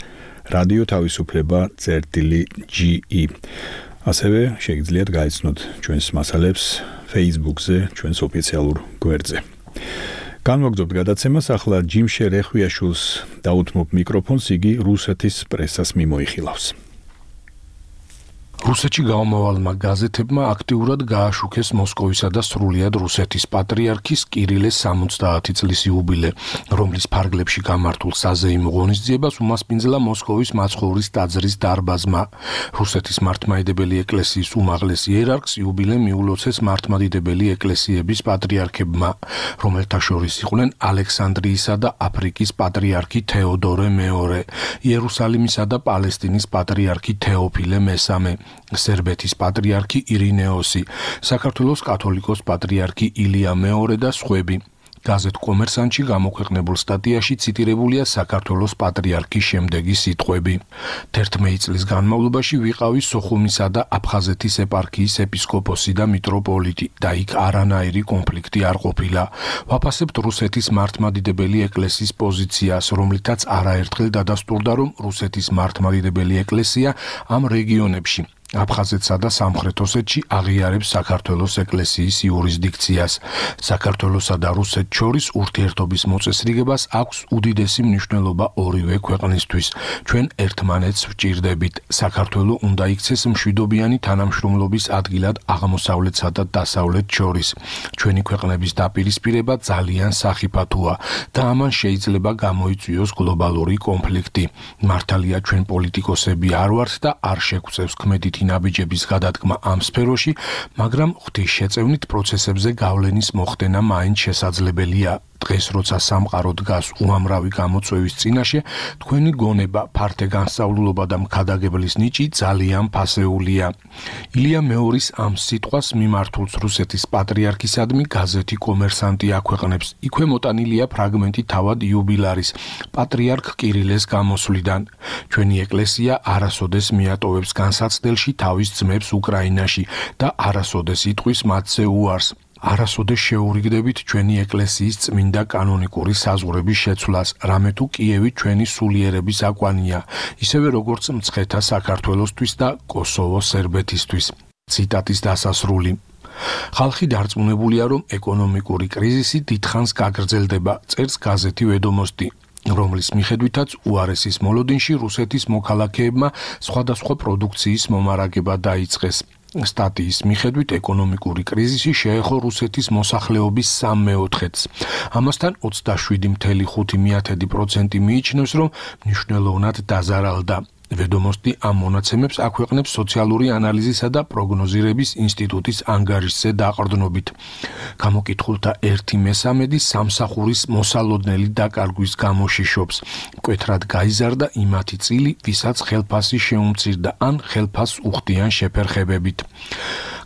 radio-თავისუფლება.ge. ასევე შეგიძლიათ გაიცნოთ ჩვენს მასალებს Facebook-ზე, ჩვენს ოფიციალურ გვერდზე. განვაგრძობთ გადაცემას, ახლა ჯიმშე რეხვიაშვილს დაუთმობ მიკროფონს, იგი რუსეთის პრესას მიმოიხილავს. რუსეთში გამომავალმა გაზეთებმა აქტიურად გააშუქეს მოსკოვისა და სრულიად რუსეთის პატრიარქის კირილეს 70 წლის იუბილე, რომლის ფარგლებში გამართულ საზეიმო ღონისძიებას უმასპინძლა მოსკოვის მაცხოვრის ტაძრის დარბაზმა. რუსეთის მართლმადიდებელი ეკლესიის უმაღლეს იერარქს იუბილე მიულოცეს მართლმადიდებელი ეკლესიების პატრიარქებმა, რომელთა შორის იყვნენ ალექსანდრიისა და აფრიკის პატრიარქი თეოდორე მეორე, იერუსალიმისა და პალესტინის პატრიარქი თეოფილე მესამე, სერბეთის პატრიარქი ირინეოსი, საქართველოს კათოლიკოს პატრიარქი ილია მეორე და სხვები. გაზეთ კომერსანტში გამოქვეყნებულ სტატიაში ციტირებულია საქართველოს პატრიარქის შემდეგი სიტყვები. 11 წლის განმავლობაში ვიყავი სოხუმისა და აფხაზეთის ეპარქიის ეპისკოპოსი და მიტროპოლიტი და იქ არანაირი კონფლიქტი არ ყოფილა. ვაფასებთ რუსეთის მართლმადიდებელი ეკლესიის პოზიციას, რომლითაც არაერთხელ დადასტურდა, რომ რუსეთის მართლმადიდებელი ეკლესია ამ რეგიონებში აფხაზეთსა და სამხრეთ ოსეთში აღიარებს საქართველოს ეკლესიის იურისდიქციას. საქართველოსა და რუსეთს შორის ურთიერთობის მოწესრიგებას აქვს უდიდესი მნიშვნელობა ორივე ქვეყნისთვის. ჩვენ ერთმანეთს ვჭირდებით. საქართველო უნდა იქცეს მშვიდობიანი თანამშრომლობის ადგილად აღმოსავლეთსა და დასავლეთს შორის. ჩვენი ქვეყნების დაპირისპირება ძალიან სახიფათოა და ამან შეიძლება გამოიწვიოს გლობალური კონფლიქტი. მართალია ჩვენ პოლიტიკოსები არ ვართ და არ შეგვწევს ქმედით ნაბიჯების გადადგმა ამ სფეროში, მაგრამ ღვთისშეწევნით პროცესებზე გავლენის მოხდენა მაინც შესაძლებელია. დღეს როცა სამყარო დგას უამრავი გამოწვევის წინაშე, თქვენი გონება, ფართე განსწავლულობა და მქადაგებლის ნიჭი ძალიან ფასეულია. ილია მეორის ამ სიტყვას მიმართულს რუსეთის პატრიარქისადმი გაზეთი კომერსანტი აქვეყნებს. იქვე მოტანილია ფრაგმენტი თავად იუბილარის, პატრიარქ კირილეს გამოსვლიდან. ჩვენი ეკლესია არასოდეს მიატოვებს განსაცდელში თავის ძმებს უკრაინაში და არასოდეს იტყვის მათზე უარს. არასოდეს შეურიგდებით ჩვენი ეკლესიის წმინდა კანონიკური საზღვრების შეცვლას, რამე თუ კიევი ჩვენი სულიერების აკვანია, ისევე როგორც მცხეთა საქართველოსთვის და კოსოვოს სერბეთისთვის. ციტატის დასასრული. ხალხი დარწმუნებულია, რომ ეკონომიკური კრიზისი დიდხანს გაგრძელდება, წერს გაზეთი ვედომოსტი, რომლის მიხედვითაც უარესის მოლოდინში რუსეთის მოქალაქეებმა სხვადასხვა პროდუქციის მომარაგება დაიწყეს. სტატიის მიხედვით ეკონომიკური კრიზისი შეეხო რუსეთის მოსახლეობის 3/4-ს. ამასთან 27.5% მიიჩნევს, რომ მნიშვნელოვნად დაზარალდა. ვედომოსტი ამ მონაცემებს აქვეყნებს სოციალური ანალიზისა და პროგნოზირების ინსტიტუტის ანგარიშზე დაყრდნობით. გამოკითხულთა 1/3 სამსახურის მოსალოდნელი დაკარგვის გამო შიშობს. მკვეთრად გაიზარდა იმათი წილი, ვისაც ხელფასი შეუმცირდა ან ხელფასს უხდიან შეფერხებებით.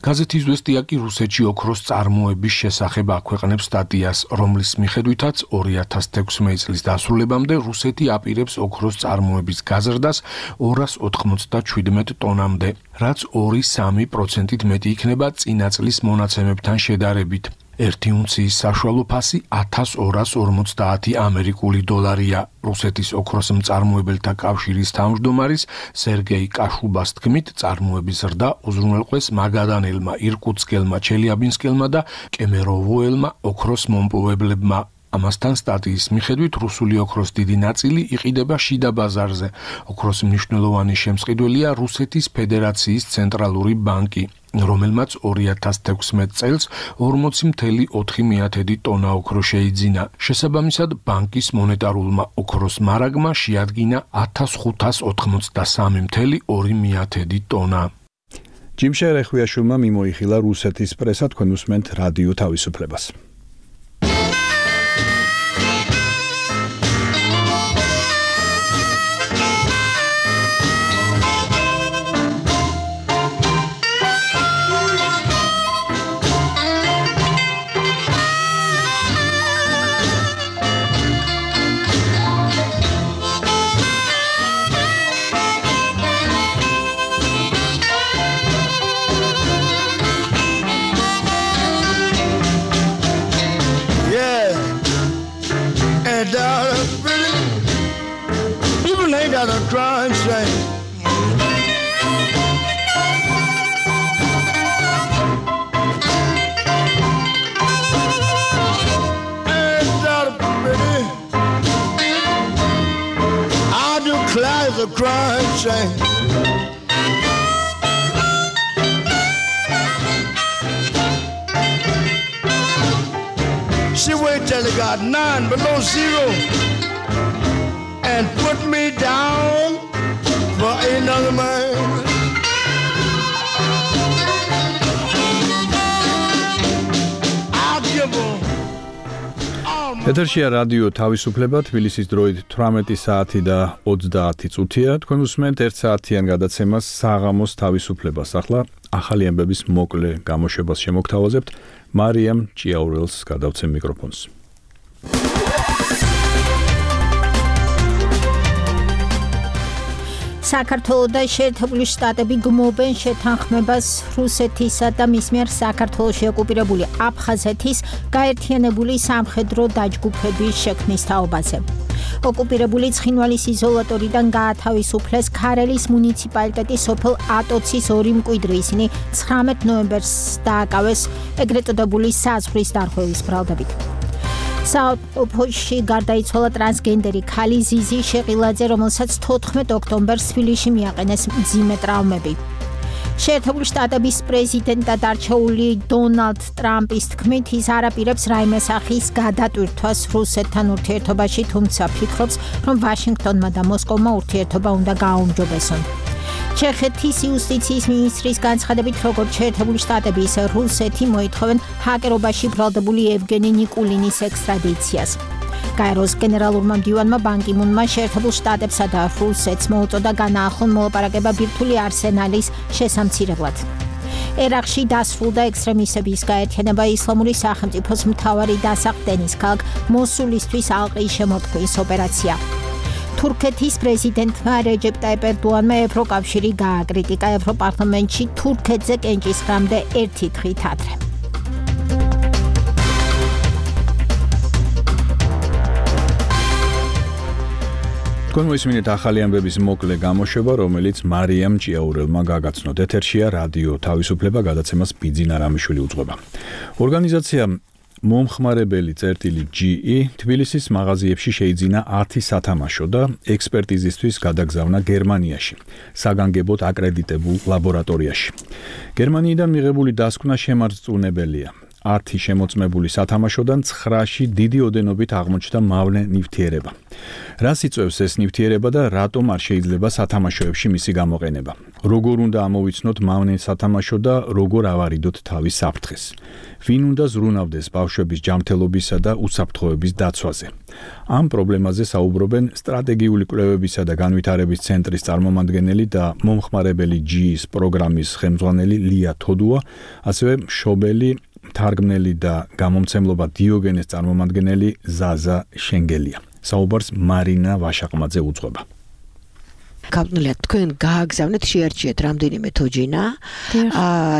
გაზეთი „ზვესტია“ კი რუსეთში ოქროს წარმოების შესახებ აქვეყნებს სტატიას, რომლის მიხედვითაც 2016 წლის დასრულებამდე რუსეთი აპირებს ოქროს წარმოების გაზრდას 297 ტონამდე, რაც 2-3%-ით მეტი იქნება წინა წლის მონაცემებთან შედარებით. 1 უნციის საშუალო ფასი 1250 ამერიკული დოლარია. რუსეთის ოქროს მწარმოებელთა კავშირის თავმჯდომარის სერგეი კაშუბას თქმით, წარმოების ზრდა უზრუნველყვეს მაგადანელმა, ირკუტსკელმა, ჩელიაბინსკელმა და კემეროვოელმა ოქროს მომპოვებლებმა. ამასთან სტატიის მიხედვით რუსული ოქროს დიდი ნაწილი იყიდება შიდა ბაზარზე. ოქროს მნიშვნელოვანი შემსყიდველია რუსეთის ფედერაციის ცენტრალური ბანკი, რომელმაც 2016 წელს 40.4 ტონა ოქრო შეიძინა. შესაბამისად, ბანკის მონეტარულმა ოქროს მარაგმა შეადგინა 1583.2 ტონა. ჯიმშე რეხვიაშვილმა მიმოიხილა რუსეთის პრესა, თქვენ უსმენთ რადიო თავისუფლებას. Crime shame. I declare the crime shame. barely got 9 below zero and put me down for another man. I'll give her ეთერშია რადიო თავისუფლება თბილისის დროით 18 საათი და 30 წუთია. თქვენ უსმენთ 1 საათიან გადაცემას საღამოს თავისუფლებას. ახლა ახალი ამბების მოკლე გამოშვებას შემოგთავაზებთ. მარიამ ჭიაურელს გადავცემ მიკროფონს. საქართველოს და შეერთებული შტატები გმობენ შეთანხმებას რუსეთისა და მის მიერ საქართველოში ოკუპირებული აფხაზეთის გაერთიანებული სამხედრო დაჯგუფების შექმნის თაობაზე. ოკუპირებული ცხინვალის იზოლატორიდან გაათავისუფლეს ქარელის მუნიციპალიტეტის სოფელ ატოცის 2 მკვიდრი. ისინი 19 ნოემბერს დააკავეს ეგრეთ წოდებული საზღვრის დარღვევის ბრალდებით. საოფოში გარდაიცვალა ტრანსგენდერი ქალი ზიზი შეყილაძე, რომელსაც 14 ოქტომბერს თბილისში მიაყენეს მძიმე ტრავმები. შეერთებული შტატების პრეზიდენტად არჩეული დონალდ ტრამპის თქმით, ის არ აპირებს რაიმე სახის გადატვირთვას რუსეთთან ურთიერთობაში, თუმცა ფიქრობს, რომ ვაშინგტონმა და მოსკოვმა ურთიერთობა უნდა გააუმჯობესონ. ჩეხეთის იუსტიციის მინისტრის განცხადებით, როგორც შეერთებული შტატები, ისე რუსეთი მოითხოვენ ჰაკერობაში ბრალდებული ევგენი ნიკულინის ექსტრადიციას. გაეროს გენერალურმა მდივანმა ბან კი მუნმა შეერთებულ შტატებსა და რუსეთს მოუწოდა განაახლონ მოლაპარაკება ბირთვული არსენალის შესამცირებლად. ერაყში დასრულდა ექსტრემისტების გაერთიანება ისლამური სახელმწიფოს მთავარი დასახდენის ქალაქ მოსულისთვის ალყის შემოთქმის ოპერაცია. თურქეთის პრეზიდენტმა რეჯეპ ტაიპ ერდოანმა ევროკავშირი გააკრიტიკა ევროპარლამენტში თურქეთზე კენჭისყრამდე ერთი დღით ადრე. თქვენ მოისმინეთ ახალი ამბების მოკლე გამოშვება, რომელიც მარიამ ჭიაურელმა გაგაცნოთ. ეთერშია რადიო თავისუფლება, გადაცემას ბიძინა რამიშვილი უძღვება. ორგანიზაცია მომხმარებელი წერტილი GE თბილისის მაღაზიებში შეიძინა 10 სათამაშო და ექსპერტიზისთვის გადაგზავნა გერმანიაში, საგანგებოდ აკრედიტებულ ლაბორატორიაში. გერმანიიდან მიღებული დასკვნა შემარწმუნებელია. 10 შემოწმებული სათამაშოდან 9-ში დიდი ოდენობით აღმოჩნდა მავნე ნივთიერება. რას იწვევს ეს ნივთიერება და რატომ არ შეიძლება სათამაშოებში მისი გამოყენება? როგორ უნდა ამოვიცნოთ მავნე სათამაშო და როგორ ავარიდოთ თავის საფრთხეს? ვინ უნდა ზრუნავდეს ბავშვების ჯანმრთელობისა და უსაფრთხოების დაცვაზე? ამ პრობლემაზე საუბრობენ სტრატეგიული კვლევებისა და განვითარების ცენტრის წარმომადგენელი და მომხმარებელი GE-ის პროგრამის ხელმძღვანელი ლია თოდუა, ასევე მშობელი თარგმნელი და გამომცემლობა დიოგენეს წარმომადგენელი ზაზა შენგელია. საუბარს მარინა ვაშაყმაძე უძღვება. კაპნელია, თქვენ გააგზავნეთ, შეარჩიეთ რამდენიმე თოჯინა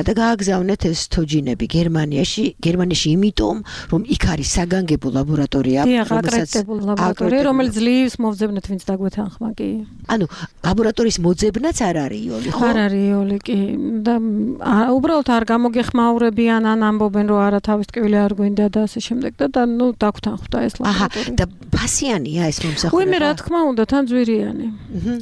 და გააგზავნეთ ეს თოჯინები გერმანიაში, იმიტომ რომ იქ არის საგანგებო ლაბორატორია, რომელიც ძლივს მოვძებნეთ, ვინც დაგვეთანხმა კი. ანუ ლაბორატორიის მოძებნაც არ არის იოლი, ხო? არ არის იოლი კი და უბრალოდ არ გამოგეხმაურებიან, ან ამბობენ, რომ არა თავის ტკივილი არ გვინდა და ასე შემდეგ და ნუ დაგვთანხმდა ეს ლაბორატორია. და ფასიანია ეს მომსახურება? უიმე რა თქმა უნდა, თან ძვირიანი.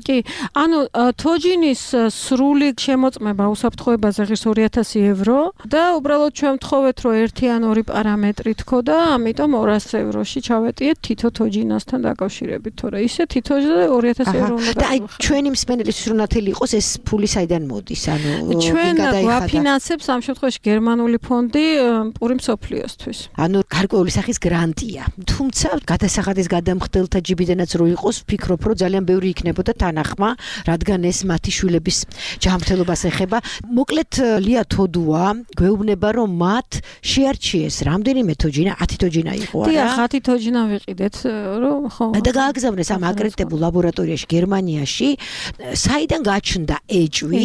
კი. ანუ თოჯინის სრული შემოწმება უსაფრთხოებაზე ღირს 2000 евро და უბრალოდ ჩვენ ვთხოვეთ, რომ ერთი ან ორი პარამეტრი თქო და ამიტომ 200 ევროში ჩავეტიეთ თითო თოჯინასთან დაკავშირებით, თორე ისე თითოზე 2000 евро უნდა და აი ჩვენი მსმენელის სრუნათელი იყოს ეს ფული საიდან მოდის? ანუ ჩვენ გვაფინანსებს ამ შემთხვევაში გერმანული ფონდი პური მსოფლიოსთვის. ანუ გარკვეული სახის გრანტია. თუმცა გადასახადის გადამხდელთა ჯიბიდანაც რო იყოს, ვფიქრობ, რომ ძალიან ბევრი იქნებოდა თანახმა, რადგან ეს მათი შვილების ჯანმრთელობას ეხება. მოკლედ ლია თოდუა გვეუბნება, რომ მათ შეარჩიეს რამდენიმე თოჯინა, 10 თოჯინა იყო არა? დიახ, 10 თოჯინა ვიყიდეთ, რომ ხო. და გააგზავნეს ამ აკრედიტებულ ლაბორატორიაში გერმანიაში, საიდან გაჩნდა ეჭვი,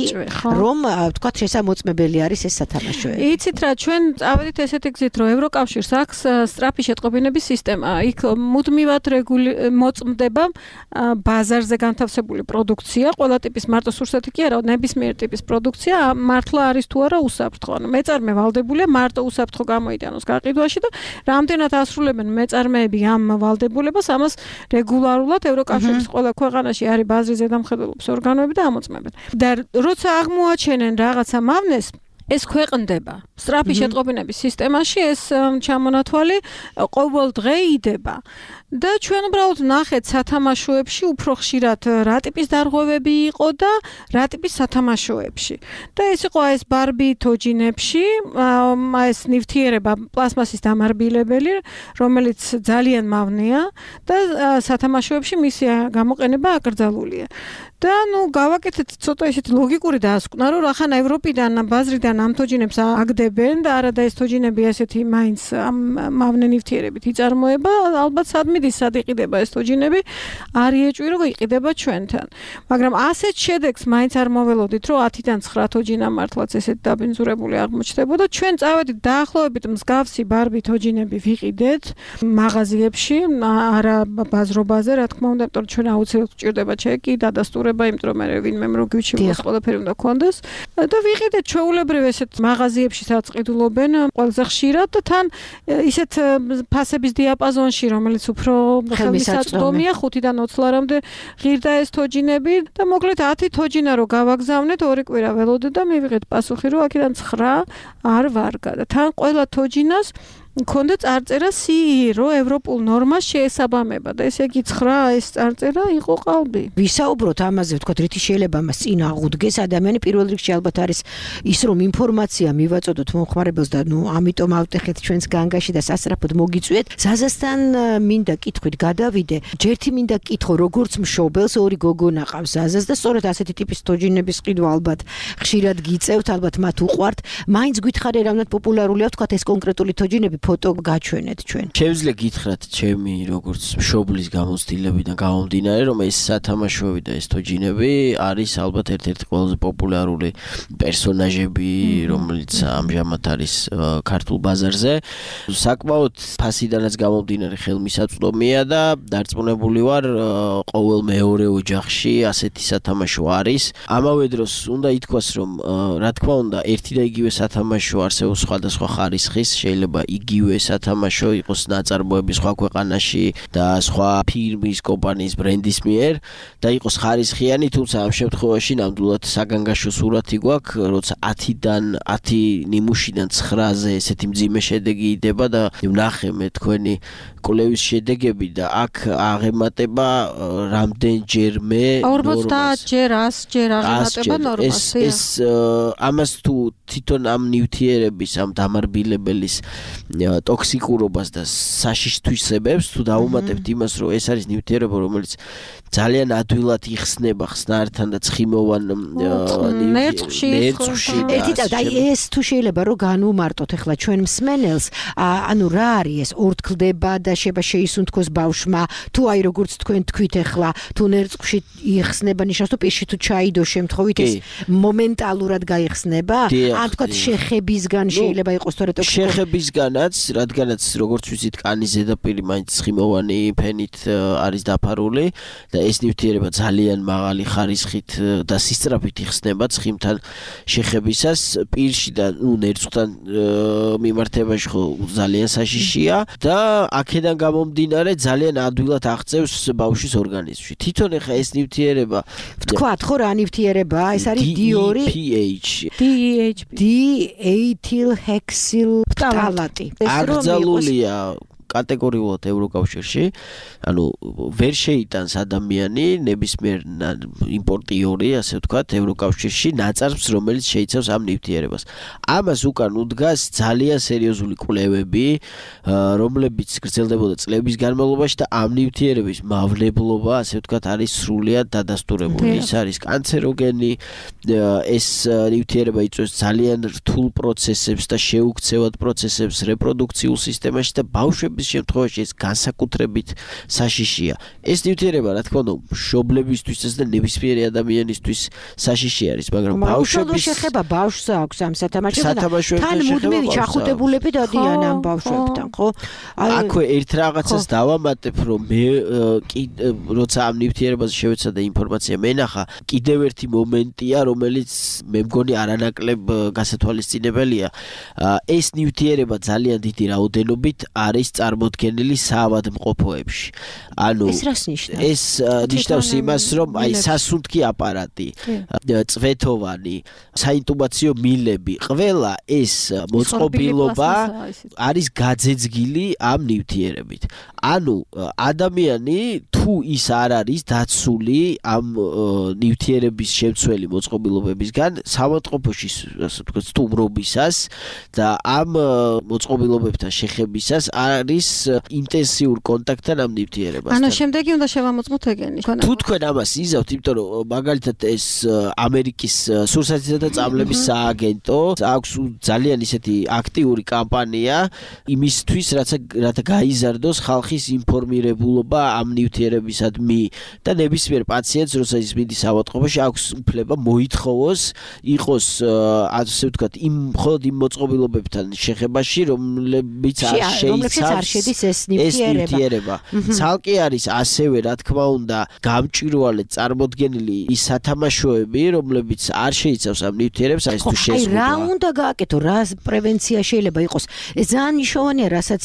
რომ თქვათ შესამოწმებელი არის ეს სათამაშოები. იცით რა, ჩვენ წავედით ესეთი გზით, რომ ევროკავშირს აქვს სწრაფი შეტყობინების სისტემა. იქ მუდმივად მოწმდება ბაზარზე განთავსებული პროდუქცია, ყველა ტიპის მარტო სურსათი კი არა, ნებისმიერ ტიპის პროდუქცია მართლა არის თუ არა უსაფრთხო. ანუ მეწარმე ვალდებულია მარტო უსაფრთხო გამოიტანოს გაყიდვაში და რამდენად ასრულებენ მეწარმეები ამ ვალდებულებას, ამას რეგულარულად ევროკავშირის ყველა ქვეყანაში არის ბაზრის ზედამხედველობის ორგანოები და ამოწმებენ. და როცა აღმოაჩენენ რაღაცა მავნეს, ეს ქვეყნდება. სწრაფი შეტყობინების სისტემაში ეს ჩამონათვალი ყოველ დღე იდება. და ჩვენ უბრალოდ ნახეთ სათამაშოებში უფრო ხშირად რა ტიპის დარღვევები იყო და რა ტიპის სათამაშოებში. და ეს იყო ეს ბარბი თოჯინებში, ეს ნივთიერება პლასმასის დამარბილებელი, რომელიც ძალიან მავნეა და სათამაშოებში მისი გამოყენება აკრძალულია. და გავაკეთეთ ცოტა ისეთი ლოგიკური დასკვნა, რომ ახლა ევროპიდან ბაზრიდან ამ თოჯინებს აგდებენ და არა და ეს თოჯინები ესეთი მაინც მავნე ნივთიერებით იწარმოება, ალბათ სად იყიდება ეს თოჯინები, არ იეჭვი რომ იყიდება ჩვენთან. მაგრამ ასეთ შედეგს მაინც არ მოველოდით, რომ 10-დან 9 თოჯინა მართლაც ესეთ დაბინძურებული აღმოჩნდებოდა. ჩვენ წავედით დაახლოებით მსგავსი ბარბი თოჯინები ვიყიდეთ მაღაზიებში, არა ბაზრობაზე, რა თქმა უნდა, იმიტომ რომ ჩვენ აუცილებლად გვჭირდება ჩეკი, დადასტურება, იმიტომ რომ მე ვინმე რო გიჩვენოს ყველაფერი უნდა გქონდეს და ვიყიდეთ ჩვეულებრივ ესეთ მაღაზიებში სადაც ყიდულობენ ყველაზე ხშირად და თან ისეთ ფასების დიაპაზონში, რომელიც უფრო ხელმისაწვდომია 5-დან 20 ლარამდე ღირდა ეს თოჯინები და მოკლედ 10 თოჯინა რო გავაგზავნეთ 2 კვირა ველოდე და მივიღეთ პასუხი რომ აქედან 9 არ ვარგა და თან ყველა თოჯინას მქონდა წარწერა CE, რომ ევროპულ ნორმას შეესაბამება და ესე იგი 9 ეს წარწერა იყო ყალბი. ვისაუბროთ ამაზე, ვთქვათ, რითი შეიძლება მას წინ აღუდგეს ადამიანი პირველ რიგში ალბათ არის ის, რომ ინფორმაცია მივაწოდოთ მომხმარებელს და ამიტომ ავტეხეთ ჩვენს განგაში და სასწრაფოდ მოგიწვიეთ. ზაზასთან მინდა კითხვით გადავიდე. ჯერთი მინდა კითხო, როგორც მშობელს ორი გოგონა ყავს ზაზას და სწორედ ასეთი ტიპის თოჯინების ყიდვა ალბათ ხშირად გიწევთ, ალბათ მათ უყვართ. მაინც გითხარი რამდენად პოპულარულია, ვთქვათ, ეს კონკრეტული თოჯინები ფოტო გაჩვენეთ ჩვენ. Შეგვიძლია გითხრათ ჩემი როგორც მშობლის გამოცდილებიდან გამომდინარე, რომ ეს სათამაშოები და ეს თოჯინები არის ალბათ ერთ-ერთი ყველაზე პოპულარული პერსონაჟები, რომელიც ამჟამად არის ქართულ ბაზარზე. საკმაოდ ფასიდანაც გამომდინარე ხელმისაწვდომია და დარწმუნებული ვარ, ყოველ მეორე ოჯახში ასეთი სათამაშო არის. ამავე დროს უნდა ითქვას, რომ რა თქმა უნდა, ერთი და იგივე სათამაშო არსებობს სხვადასხვა ხარისხის, შეიძლება იგივე სათამაშო იყოს ნაწარმოები სხვა ქვეყანაში და სხვა ფირმის, კომპანიის, ბრენდის მიერ და იყოს ხარისხიანი, თუმცა ამ შემთხვევაში ნამდვილად საგანგაშო სურათი გვაქვს, როცა 10-დან 10 ნიმუშიდან 9-ზე ესეთი მძიმე შედეგი იდება და ვნახე მე თქვენი კვლევის შედეგები და აქ აღემატება რამდენჯერმე 50 ჯერ 100 ჯერ აღემატება ნორმას. ეს ამას თუ თვითონ ამ ნივთიერების, ამ დამარბილებელის ტოქსიკურობას და საშიშთვისებებს თუ დაუმატებთ იმას, რომ ეს არის ნივთიერება, რომელიც ძალიან ადვილად იხსნება ხსნართან და ცხიმოვან ნერწყვში. აი ეს თუ შეიძლება რომ განუმარტოთ ახლა ჩვენ მსმენელს, ანუ რა არის ეს ორთქლდება და შეისუნთქოს ბავშვმა, თუ აი როგორც თქვენ თქვით ახლა, თუ ნერწყვში იხსნება, ნიშნავს თუ პირში თუ ჩაიდო შემთხვევით ეს მომენტალურად გაიხსნება, ან თქვა შეხებისგან შეიძლება იყოს თორე შეხებისგანაც, რადგანაც როგორც ვიცით, კანის ზედაპირი მაინც ცხიმოვანი ფენით არის დაფარული და ეს ნივთიერება ძალიან მაღალი ხარისხით და სისწრაფით იხსნება ცხიმთან შეხებისას, პირში და ნერწყვთან მიმართებაში ხო ძალიან საშიშია და აქედან გამომდინარე ძალიან ადვილად აღწევს ბავშვის ორგანიზმში. თვითონ ახლა ეს ნივთიერება ვთქვათ ხო რა ნივთიერებაა, ეს არის D-ეთილჰექსილფტალატი. აკრძალულია კატეგორიულად ევროკავშირში, ანუ ვერ შეიტანს ადამიანი ნებისმიერ იმპორტიორი, ასე ვთქვათ, ევროკავშირში ნაწარმს, რომელიც შეიცავს ამ ნივთიერებას. ამას უკან უდგას ძალიან სერიოზული კვლევები, რომლებიც გრძელდებოდა წლების განმავლობაში და ამ ნივთიერების მავნებლობა, ასე ვთქვათ, არის სრულიად დადასტურებული. ის არის კანცეროგენი, ეს ნივთიერება იწვევს ძალიან რთულ პროცესებს და შეუქცევად პროცესებს რეპროდუქციულ სისტემაში და ბავშვების შემთხვევაში ეს განსაკუთრებით საშიშია. ეს ნივთიერება, რა თქმა უნდა, მშობლებისთვისაც და ნებისმიერი ადამიანისთვის საშიში არის, მაგრამ ბავშვების შეხება ბავშვს აქვს ამ სათამაშოებთან. თან მუდმივი ჩახუტებულები დადიან ამ ბავშვებთან, ხო? აქვე ერთ რაღაცას დავამატებ, რომ მე როცა ამ ნივთიერებაზე შევეცადა ინფორმაცია მენახა, კიდევ ერთი მომენტია, რომელიც მე მგონი არანაკლებ გასათვალისწინებელია. ეს ნივთიერება ძალიან დიდი რაოდენობით არის წარმოდგენილი საავადმყოფოებში. ანუ ეს რას ნიშნავს? ეს ნიშნავს იმას, რომ აი სასუნთქი აპარატი, წვეთოვანი, საინტუბაციო მილები, ყველა ეს მოწყობილობა არის გაძეძგილი ამ ნივთიერებით. ანუ ადამიანი თუ ის არ არის დაცული ამ ნივთიერების შემცველი მოწყობილობებისგან საავადმყოფოში ასე ვთქვათ სტუმრობისას და ამ მოწყობილობებთან შეხებისას არის ინტენსიურ კონტაქტთან ამ ნივთიერებასთან. ანუ შემდეგი უნდა შევამოწმოთ ეგენი. თუ თქვენ ამას იზავთ, იმიტომ რომ მაგალითად ეს ამერიკის სურსათისა და წამლების სააგენტო აქვს ძალიან ისეთი აქტიური კამპანია იმისთვის, რათა გაიზარდოს ხალხის ინფორმირებულობა ამ ნივთიერებისადმი და ნებისმიერ პაციენტს, როცა ის მიდის საავადმყოფოში, აქვს უფლება მოითხოვოს იყოს ასე ვთქვათ, მხოლოდ იმ მოწყობილობებთან შეხებაში, რომლებიც არ შეიცავს ეს ნივთიერება. ცალკე არის ასევე, რა თქმა უნდა, გამჭვირვალედ წარმოდგენილი ის სათამაშოები, რომლებიც არ შეიცავს ამ ნივთიერებს, აი ეს თუ შეზღუდვა. აი რა უნდა გააკეთო, რა პრევენცია შეიძლება იყოს? ეს ძალიან მნიშვნელოვანია, რასაც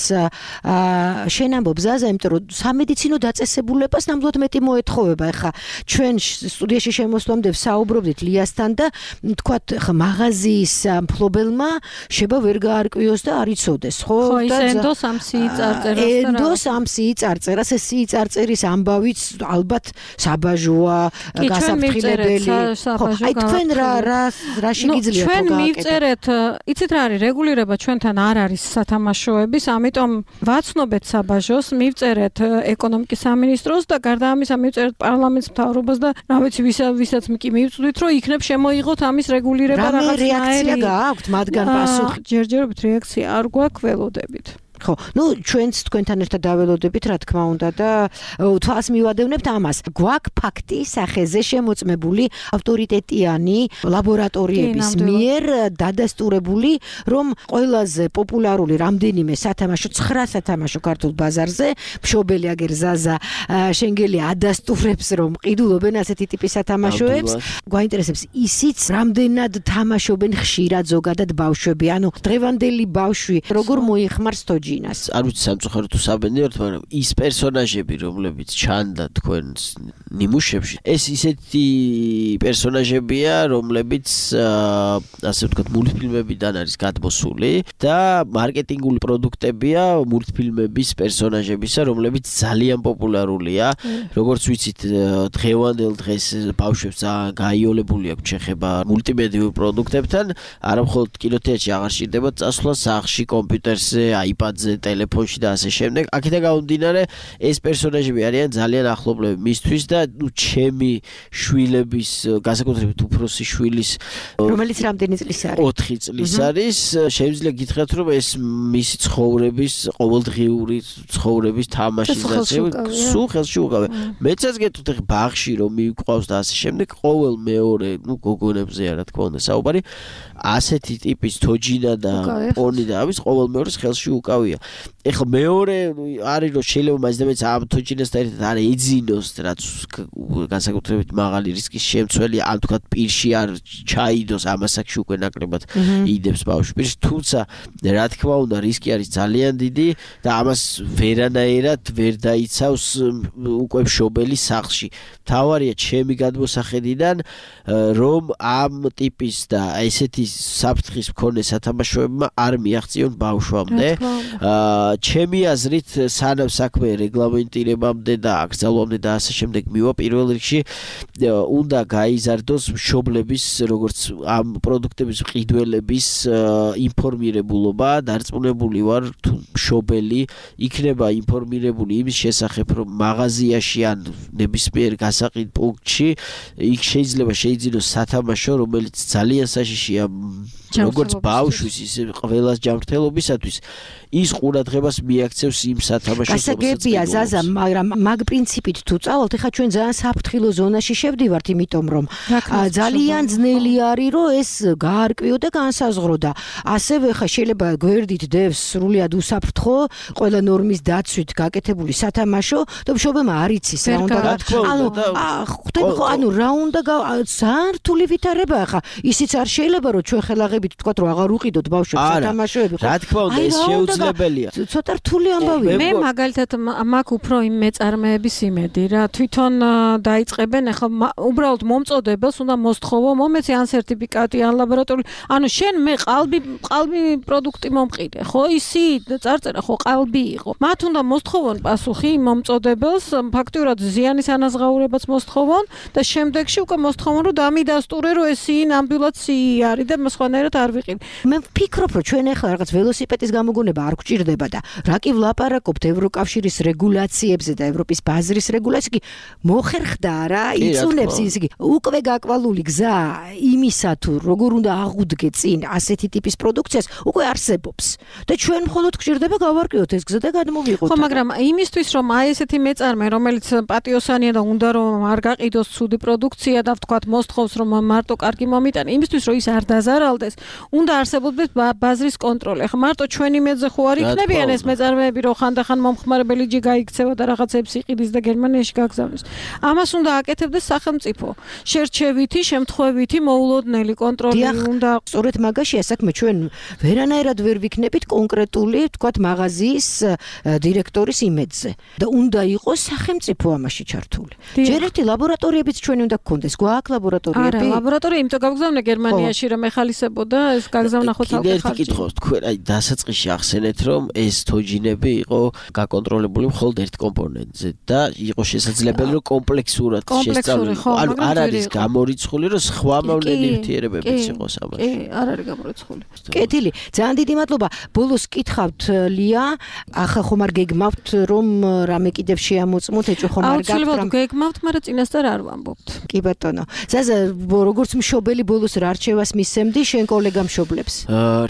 შენ ამბობ ზაზა, იმიტომ რომ სამედიცინო დაწესებულებას ნამდვილად მეტი მოეთხოვება. ეხლა ჩვენ სტუდიაში შემოსვლამდე საუბრობდით ლიასთან და თქვათ ხა მაღაზიის მფლობელმა შეება ვერ გაარკვიოს და არ იცოდეს, ხო? და ენდოს ამ სიიწარწერას და ენდოს ამ სიიწარწერას, ეს სიიწარწერის ამბავიც ალბათ საბაჟოა, გასაფრთხილებელი. აი თქვენ რა შეგიძლიათ ჩვენ მივწერეთ, იცით რა არის რეგულირება ჩვენთან არ არის სათამაშოების, ამიტომ ვაცნობეთ საბაჟოს, მივწერეთ ეკონომიკის სამინისტროს და გარდა ამისა მივწერეთ პარლამენტის მთავრობას და რა ვიცი ვისაც კი მივწვდით, რომ იქნებ შემოიღოთ ამის რეგულირება რაღაცნაირი. რა რეაქცია გააქვთ მათგან პასუხი? ჯერჯერობით რეაქცია არ გვაქვს, ველოდებით. ხო, ჩვენც თქვენთან ერთად დაველოდებით, რა თქმა უნდა და თვალს მივადევნებთ ამას. გვაქვს ფაქტი სახეზე შემოწმებული ავტორიტეტიანი ლაბორატორიების მიერ დადასტურებული, რომ ყველაზე პოპულარული რამდენიმე სათამაშო 9 სათამაშო ქართულ ბაზარზე მშობელი აგერ ზაზა შენგელი ადასტურებს, რომ ყიდულობენ ასეთი ტიპის სათამაშოებს. გვაინტერესებს ისიც რამდენად თამაშობენ ხშირად ზოგადად ბავშვები, ანუ დღევანდელი ბავშვი როგორ მოიხმარს თოჯინას. არ ვიცი სამწუხაროდ თუ საბედნიეროდ, მაგრამ ის პერსონაჟები, რომლებიც ჩანდა თქვენს ნიმუშებში, ეს ისეთი პერსონაჟებია, რომლებიც ასე ვთქვათ, მულტფილმებიდან არის გადმოსული და მარკეტინგული პროდუქტებია მულტფილმების პერსონაჟებისა, რომლებიც ძალიან პოპულარულია. როგორც ვიცით, დღევანდელ დღეს ბავშვებს ძალიან გაიოლებული აქვს შეხება მულტიმედიურ პროდუქტებთან, არა მხოლოდ კინოთეატრში აღარ სჭირდებათ წასვლა, სახლში, კომპიუტერზე, აიპადზე, ტელეფონში და ასე შემდეგ. აქედან გამომდინარე, ეს პერსონაჟები არიან ძალიან ახლობლები მისთვის და ჩემი შვილების, განსაკუთრებით უფროსი შვილის, რომელიც რამდენი წლის არის? 4 წლის არის. შეიძლება გითხრათ, რომ ეს მისი ცხოვრების, ყოველდღიური ცხოვრების თამაშიზაცია სულ ხელში უკავია. მეცაც გეტყვით, ხე ბაღში რომ მივიყვავს და ასე შემდეგ, ყოველ მეორე, გოგონებზეა რა თქმა უნდა საუბარი, ასეთი ტიპის თოჯინა და პონი და ამის ყოველ მეორეს ხელში უკავია. ეხლა მეორე არის რომ შეიძლება მაინც და მეც ამ თოჯინასთან ერთად არ ეძინოს, რაც განსაკუთრებით მაღალი რისკის შემცველია, ან თქვათ პირში არ ჩაიდოს, ამასაკში უკვე ნაკლებად იდებს ბავშვი პირში, თუმცა რა თქმა უნდა რისკი არის ძალიან დიდი და ამას ვერანაირად ვერ დაიცავს უკვე მშობელი სახლში. თავარია ჩემი გადმოსახედიდან, რომ ამ ტიპის და ესეთი საფრთხის მქონე სათამაშოებმა არ მიაღწიონ ბავშვამდე. ჩემი აზრით, სანამ საქმე რეგლამენტირებამდე და აკრძალვამდე და ასე შემდეგ მივა, პირველ რიგში უნდა გაიზარდოს მშობლების, როგორც ამ პროდუქტების მყიდველების ინფორმირებულობა. დარწმუნებული ვარ, თუ მშობელი იქნება ინფორმირებული იმის შესახებ, რომ მაღაზიაში ან ნებისმიერ გასაყიდ პუნქტში იქ შეიძლება შეიძინოს სათამაშო, რომელიც ძალიან საშიშია როგორც ბავშვის, ისე ყველას ჯანმრთელობისათვის, ის ყურადღებას მიაქცევს იმ სათამაშოს. გასაგებია ზაზა, მაგრამ მაგ პრინციპით თუ წავალთ, ეხლა ჩვენ ძალიან საფრთხილო ზონაში შევდივართ, იმიტომ რომ ძალიან ძნელი არის, რომ ეს გაარკვიო და განსაზღვრო და ასევე ხა შეიძლება გვერდით დევს სრულიად უსაფრთხო, ყველა ნორმის დაცვით გაკეთებული სათამაშო და მშობელმა არ იცის რა უნდა ანუ რა უნდა ძალიან რთული ვითარებაა ხა ისიც არ შეიძლება რომ ჩვენ ხელაღებით თქვათ რომ აღარ უყიდოთ ბავშვებს სათამაშოები რა თქმა უნდა ეს შეუძლია შესაძლებელია. ცოტა რთული ამბავია. მე მაგალითად მაქვს უფრო იმ მეწარმეების იმედი რა. თვითონ დაიწყებენ ახლა უბრალოდ მომწოდებელს უნდა მოსთხოვო მომეცი ან სერტიფიკატი ან ლაბორატორიული. ანუ შენ მე ყალბი პროდუქტი მომყიდე, ხო? ისი წარწერა ხო ყალბი იყო. მათ უნდა მოსთხოვონ პასუხი მომწოდებელს, ფაქტიურად ზიანის ანაზღაურებაც მოსთხოვონ და შემდეგში უკვე მოსთხოვონ რომ დამიდასტურე რომ ესი ნამდვილად სიი არის და სხვანაირად არ ვიყიდ. მე ვფიქრობ რომ ჩვენ ახლა რაღაც ველოსიპედის გამოგონება არ გვჭირდება და რა კი ვლაპარაკობთ ევროკავშირის რეგულაციებზე და ევროპის ბაზრის რეგულაციები მოხერხდა რა იწუნებს ისე უკვე გაკვალული გზა იმისა თუ როგორ უნდა აღუდგე წინ ასეთი ტიპის პროდუქციას უკვე არსებობს და ჩვენ მხოლოდ გვჭირდება გავარკვიოთ ეს გზა და გადმოვიღოთ. ხო, მაგრამ იმისთვის რომ აი ესეთი მეწარმე რომელიც პატიოსანია და უნდა რომ არ გაყიდოს ცუდი პროდუქცია და ვთქვათ მოსთხოვს რომ მარტო კარგი მომიტანა, იმისთვის რომ ის არ დაზარალდეს, უნდა არსებობდეს ბაზრის კონტროლი. ახლა მარტო ჩვენი მეძე ხო არ იქნებიან ეს მეწარმეები რომ ხანდახან მომხმარებელი ჯი გაიქცევა და რაღაცებს იყიდის და გერმანიაში გაგზავნის. ამას უნდა აკეთებდეს სახელმწიფო. შერჩევითი, შემთხვევითი, მოულოდნელი კონტროლი უნდა. სწორედ მაგაშია საქმე, ჩვენ ვერანაირად ვერ ვიქნებით კონკრეტული, ვთქვათ, მაღაზიის დირექტორის იმედზე და უნდა იყოს სახელმწიფო ამაში ჩართული. ჯერ ერთი ლაბორატორიებიც ჩვენი უნდა გქონდეს, გვაქვს ლაბორატორიები? არა, ლაბორატორია იმიტომ გავგზავნე გერმანიაში რომ ეხალისებოდა, ეს გაგზავნა ხო თალყი ხარჯი. კიდე კითხავს თქვენ აი დასაწყისში ახსენეთ რომ ეს თოჯინები იყო გაკონტროლებული მხოლოდ ერთ კომპონენტზე და იყო შესაძლებელი რომ კომპლექსურად შესწავლილიყო. ანუ არ არის გამორიცხული რომ სხვა მოვლენი ნივთიერებებიც იყოს ამაში. კი, არ არის გამორიცხული. კეთილი, ძალიან დიდი მადლობა. ბოლოს კითხავთ ლია, ახლა ხომ არ გეგმავთ რომ რამე კიდევ შეამოწმოთ, ეჭვ ხომ არ გაქვთ? აუცილებლად გეგმავთ, მაგრამ წინასწარ არ ვამბობთ. კი ბატონო. ზაზა, როგორც მშობელი ბოლოს რა რჩევას მისცემდი შენ კოლეგა მშობლებს?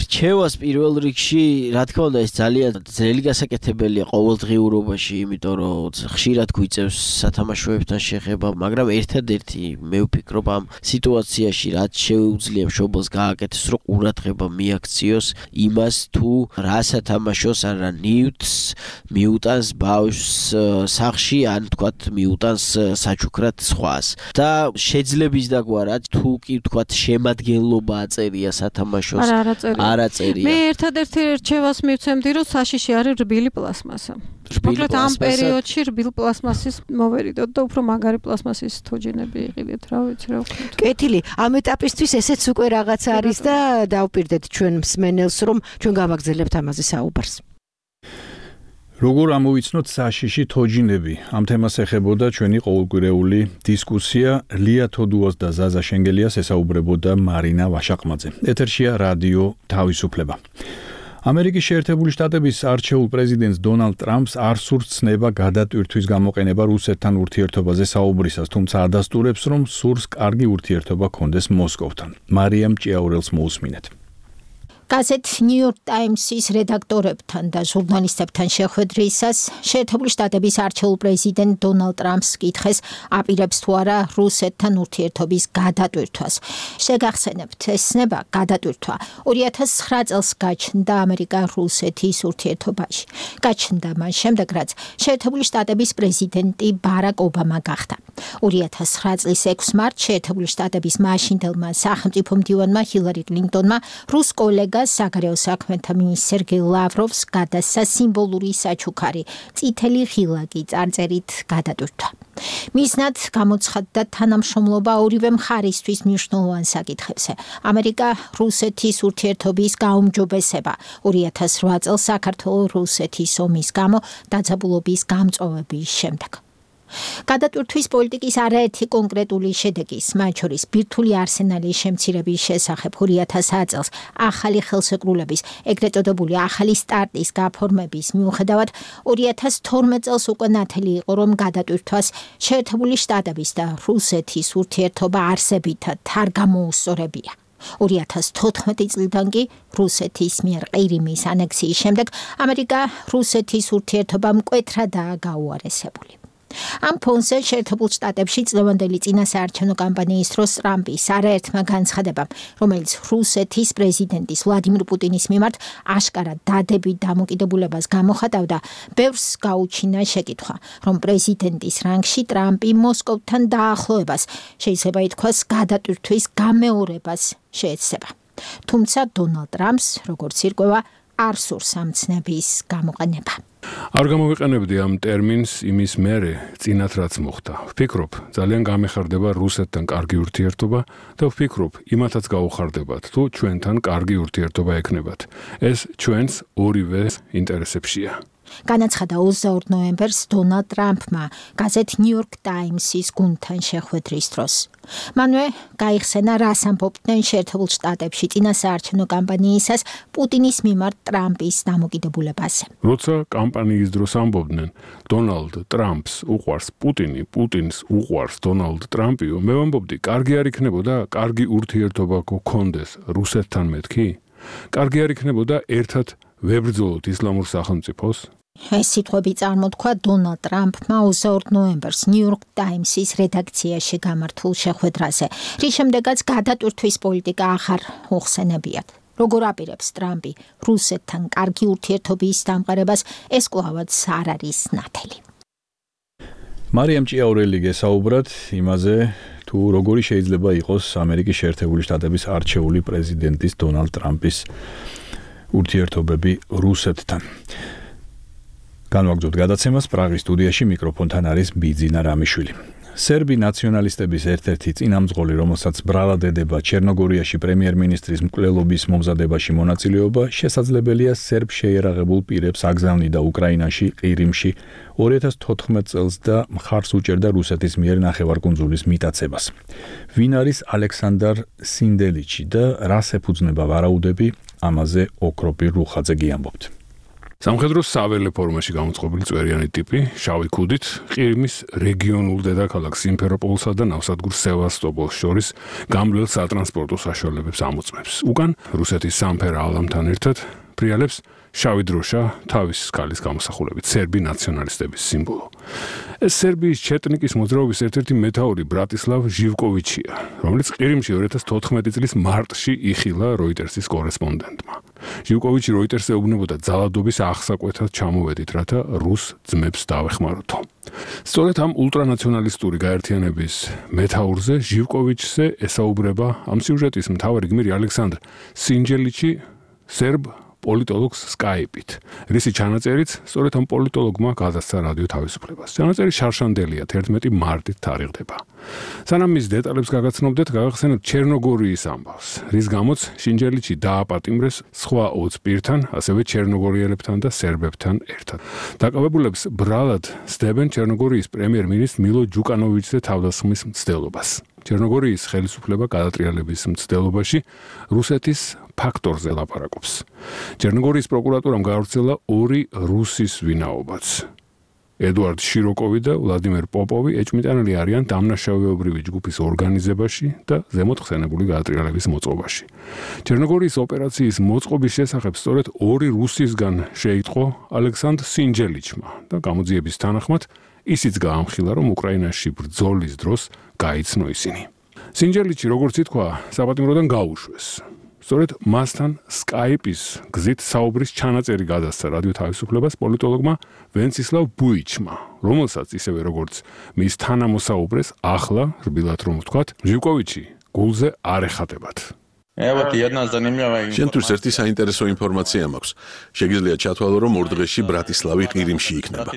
რჩევას პირველ რიგში, რა თქმა უნდა, ეს ძალიან ძნელი გასაკეთებელია ყოველდღიურობაში, იმიტომ რომ ხშირად გვიწევს სათამაშოებთან შეხება, მაგრამ ერთადერთი მე ვფიქრობ ამ სიტუაციაში რაც შეუძლია მშობელს გააკეთოს, რომ ყურადღება მიაქციოს იმას თუ რა სათამაშოს ან რა ნივთს მიუტანს ბავშვს სახლში ან თქვათ მიუტანს საჩუქრად სხვას და შეძლების დაგვარად თუ კი თქვათ შემადგენლობა აწერია სათამაშოს არ აწერია. მე ერთადერთი რჩევას მივცემდი რომ საშიში არის რბილი პლასმასა. მოკლედ ამ პერიოდში რბილ პლასმასის მოვერიდოთ და უფრო მაგარი პლასმასის თოჯინები იყიდეთ, რა ვიცი რა ვქნათ. კეთილი, ამ ეტაპისთვის ესეც უკვე რაღაც არის და დავპირდეთ ჩვენ მსმენელს რომ ჩვენ გავაგზავნებთ ამაზე საუბარს. როგორ ამოვიცნოთ საშიში თოჯინები? ამ თემას ეხებოდა ჩვენი ყოველკვირეული დისკუსია. ლია თოდუას და ზაზა შენგელიას ესაუბრებოდა მარინა ვაშაყმაძე. ეთერშია რადიო თავისუფლება. ამერიკის შეერთებული შტატების არჩეულ პრეზიდენტს დონალდ ტრამპს არ სურს ცნება გადატვირთვის გამოყენება რუსეთთან ურთიერთობაზე საუბრისას, თუმცა ადასტურებს, რომ სურს კარგი ურთიერთობა ჰქონდეს მოსკოვთან. მარიამ ჭიაურელს მოусმინეთ. გაზეთ ნიუ-იორკ ტაიმსის რედაქტორებთან და ჟურნალისტებთან შეხვედრისას შეერთებული შტატების არჩეულ პრეზიდენტ დონალდ ტრამპს კითხეს აპირებს თუ არა რუსეთთან ურთიერთობის გადატვირთვას. შეგახსენებთ, ეს ცნება გადატვირთვა 2009 წელს გაჩნდა ამერიკა-რუსეთის ურთიერთობაში. გაჩნდა მას შემდეგ, რაც შეერთებული შტატების პრეზიდენტი ბარაკ ობამა გახდა. 2009 წლის 6 მარტს შეერთებული შტატების მაშინდელმა სახელმწიფო მდივანმა ჰილარი კლინტონმა რუს კოლეგა საგარეო საქმეთა მინისტრ სერგეი ლავროვს გადასცა სიმბოლური საჩუქარი წითელი ღილაკი წარწერით გადატვირთვა. მისნად გამოცხადდა თანამშრომლობა ორივე მხარისთვის მნიშვნელოვან საკითხებზე. ამერიკა-რუსეთის ურთიერთობის გაუმჯობესება 2008 წელს საქართველო-რუსეთის ომის გამო დაძაბულობის გამწვავების შემდეგ. გადატვირთვის პოლიტიკის არაერთი კონკრეტული შედეგის, მათ შორის ბირთვული არსენალის შემცირების შესახებ 2010 წელს ახალი ხელშეკრულების, ეგრეთ წოდებული ახალი სტარტის გაფორმების მიუხედავად 2012 წელს უკვე ნათელი იყო, რომ გადატვირთვას შეერთებული შტატების და რუსეთის ურთიერთობა არსებითად არ გამოუსწორებია. 2014 წლიდან კი რუსეთის მიერ ყირიმის ანექსიის შემდეგ ამერიკა-რუსეთის ურთიერთობა მკვეთრადაა გაუარესებული. ამ ფონზე შეერთებულ შტატებში წლევანდელი წინასაარჩევნო კამპანიის დროს ტრამპის არაერთმა განცხადებამ, რომელიც რუსეთის პრეზიდენტის ვლადიმირ პუტინის მიმართ აშკარად დადებით დამოკიდებულებას გამოხატავდა, ბევრს გაუჩინა შეკითხვა, რომ პრეზიდენტის რანგში ტრამპი მოსკოვთან დაახლოებას, შეიძლება ითქვას გადატვირთვის გამეორებას შეეცდება. თუმცა დონალდ ტრამპს, როგორც ირკვევა, არ სურს ამ ცნების გამოყენება. არ გამოვიყენებდი ამ ტერმინს იმის მერე წინათ რაც მოხდა. ვფიქრობ, ძალიან გამეხარდება რუსეთთან კარგი ურთიერთობა და ვფიქრობ, იმათაც გაუხარდებათ, თუ ჩვენთან კარგი ურთიერთობა ექნებათ. ეს ჩვენს ორივე ინტერესებშია. განაცხადა 22 ნოემბერს დონალდ ტრამპმა გაზეთ New York Times-ის გუნდთან შეხვედრის დროს. მანვე გაიხსენა, რას ამბობდნენ შეერთებულ შტატებში წინასაარჩევნო კამპანიისას პუტინის მიმართ ტრამპის დამოკიდებულებაზე. როცა კამპანიის დროს ამბობდნენ, დონალდ ტრამპს უყვარს პუტინი, პუტინს უყვარს დონალდ ტრამპიო, მე ვამბობდი, კარგი არ იქნებოდა კარგი ურთიერთობა გქონდეს რუსეთთან მეთქი? კარგი არ იქნებოდა ერთად ვებრძოლოთ ისლამურ სახელმწიფოს? ეს სიტყვები წარმოთქვა დონალდ ტრამპმა 22 ნოემბერს New York Times-ის რედაქციაში გამართულ შეხვედრაზე, რის შემდეგაც გადატვირთვის პოლიტიკა ახარ უხსენებიათ. როგორ აპირებს ტრამპი რუსეთთან კარგი ურთიერთობის დამყარებას, ეს კვლავაც არ არის ნათელი. მარიამ ჭიაურელი გესაუბრათ იმაზე, თუ როგორი შეიძლება იყოს ამერიკის შეერთებული შტატების არჩეული პრეზიდენტის დონალდ ტრამპის ურთიერთობები რუსეთთან. განვაგრძოთ გადაცემას პრაღის სტუდიაში მიკროფონთან არის ბიძინა რამიშვილი. სერბი ნაციონალისტების ერთ-ერთი წინამძღოლი, რომელსაც ბრალად ედება ჩერნოგორიაში პრემიერ-მინისტრის მკვლელობის მომზადებაში მონაწილეობა, შესაძლებელია სერბ შეიარაღებულ პირებს აგზავნიდა უკრაინაში, ყირიმში 2014 წელს და მხარს უჭერდა რუსეთის მიერ ნახევარკუნძულის მიტაცებას. ვინ არის ალექსანდარ სინდელიჩი და რას ეფუძნება ვარაუდები, ამაზე ოქროპირ რუხაძე გიამბობთ. სამხედრო საველე ფორმაში გამოწყობილი წვერიანი ტიპი, შავი ქუდით, ყირიმის რეგიონულ დედაქალაქ სიმფეროპოლსა და ნავსადგურ სევასტოპოლს შორის გამძლე სატრანსპორტო საშუალებებს ამოწმებს. უკან რუსეთის სამფერა ალამთან ერთად ფრიალებს შავი დროშა თავის სკალის გამოსახულებით, სერბი ნაციონალისტების სიმბოლო. ეს სერბიის ჩეტნიკის მოძრაობის ერთ-ერთი მეთაური ბრატისლავ ჟივკოვიჩია, რომელიც ყირიმში 2014 წლის მარტში იხილა როიტერსის კორესპონდენტმა. ჟივკოვიჩი როიტერსზე ეუბნებოდა ძალადობის აღსაკვეთად ჩამოვედით, რათა რუს ძმებს დავეხმაროთო. სწორედ ამ ულტრანაციონალისტური გაერთიანების მეთაურზე ჟივკოვიჩზე ესაუბრება ამ სიუჟეტის მთავარი გმირი ალექსანდრ სინჯელიჩი სერბ პოლიტოლოგს Skype-ით. რისი ჩანაწერიც სწორედ ამ პოლიტოლოგმა გადასცა რადიო თავისუფლებას. ჩანაწერი შარშანდელია, 11 მარტით თარიღდება. სანამ მის დეტალებს გაგაცნობდეთ, გავახსენებთ ჩერნოგორიის ამბავს, რის გამოც სინჯელიჩი დააპატიმრეს სხვა 20 პირთან, ასევე ჩერნოგორიელებთან და სერბებთან ერთად. დაკავებულებს ბრალად სდებენ ჩერნოგორიის პრემიერ-მინისტრ მილო ჯუკანოვიჩზე თავდასხმის მცდელობას. ჩერნოგორიის ხელისუფლება გადატრიალების მცდელობაში რუსეთის ფაქტორზე ლაპარაკობს. ჩერნოგორიის პროკურატურამ გაავრცელა 2 რუსის ვინაობაც. ედუარდ შიროკოვი და ვლადიმერ პოპოვი ეჭვმიტანილი არიან დამნაშავეობრივი ჯგუფის ორგანიზებაში და ზემოთ ხსენებული გადატრიალების მოწყობაში. ჩერნოგორიის ოპერაციის მოწყობის შესახებ სწორედ 2 რუსისგან შეიტყო ალექსანდრ სინჯელიჩმა და გამოძიების თანახმად ისიც გაამხილა, რომ უკრაინაში ბრძოლის დროს გაიცნო ისინი. სინჯელიჩი, როგორც ითქვა, საპატიმროდან გაუშვეს. სწორედ მასთან Skype-ის გზით საუბრის ჩანაწერი გადასცა რადიო თავისუფლებას პოლიტოლოგმა ვენცისლავ ბუიჩმა, რომელსაც ისევე როგორც მის თანამოსაუბრეს ახლა, რბილად რომ ვთქვათ, ჟივკოვიჩი გულზე არ ეხატებათ. შენთვის ერთი საინტერესო ინფორმაცია მაქვს. შეგიძლია ჩათვალო, რომ ორ დღეში ბრატისლავი ყირიმში იქნება.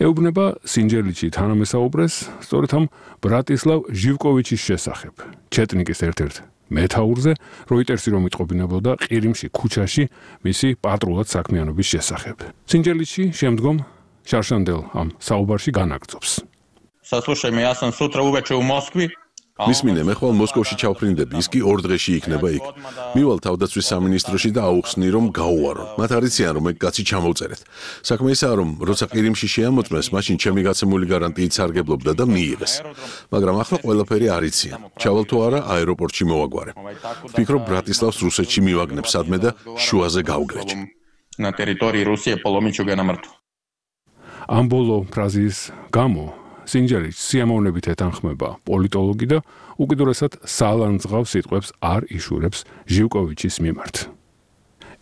ეუბნება სინჯელიჩი თანამესაუბრეს სწორედ ამ ბრატისლავ ჟივკოვიჩის შესახებ. ჩეტნიკის ერთ-ერთ მეთაურზე როიტერსი რომ იტყობინებოდა ყირიმში ქუჩაში მისი პატრულად საქმიანობის შესახებ. სინჯელიჩი შემდგომ შარშანდელ ამ საუბარში განაგრძობს. მისმინე, მე ხვალ მოსკოვში ჩავფრინდები, ის კი ორ დღეში იქნება იქ. მივალ თავდაცვის სამინისტროში და აუხსნი, რომ გაუვარო. მათ არიციან, რომ ეგ კაცი ჩამოვწერეთ. საქმე ისაა, რომ როცა ყირიმში შეამოწმეს, მაშინ ჩემი გაცემული გარანტიით სარგებლობდა და მიიღეს. მაგრამ ახლა ყველაფერი არიციან. ჩავალ თუ არა, აეროპორტში მოვაგვარე. ვფიქრობ, ბრატისლავს რუსეთში მივაგნებ სადმე და შუაზე გავგრეჭ. ამ ბოლო ფრაზის გამო სინჯელიჩი სიამოვნებით ეთანხმება პოლიტოლოგი და უკიდურესად სალანძღავ სიტყვებს არ იშურებს ჟივკოვიჩის მიმართ.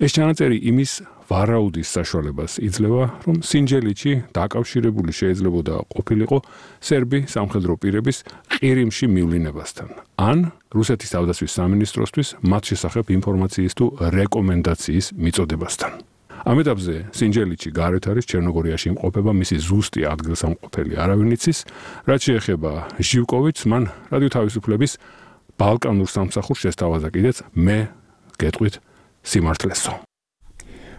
ეს ჩანაწერი იმის ვარაუდის საშუალებას იძლევა, რომ სინჯელიჩი დაკავშირებული შეიძლებოდა ყოფილიყო სერბი სამხედრო პირების ყირიმში მივლინებასთან, ან რუსეთის თავდაცვის სამინისტროსთვის მათ შესახებ ინფორმაციის თუ რეკომენდაციის მიწოდებასთან. ამ ეტაპზე სინჯელიჩი გარეთ არის ჩერნოგორიაში იმყოფება მისი ზუსტი ადგილსამყოფელი არავინ იცის, რაც შეეხება ჟივკოვიჩს, მან რადიო თავისუფლების ბალკანურ სამსახურს შესთავაზა კიდეც მე გეტყვით სიმართლესო.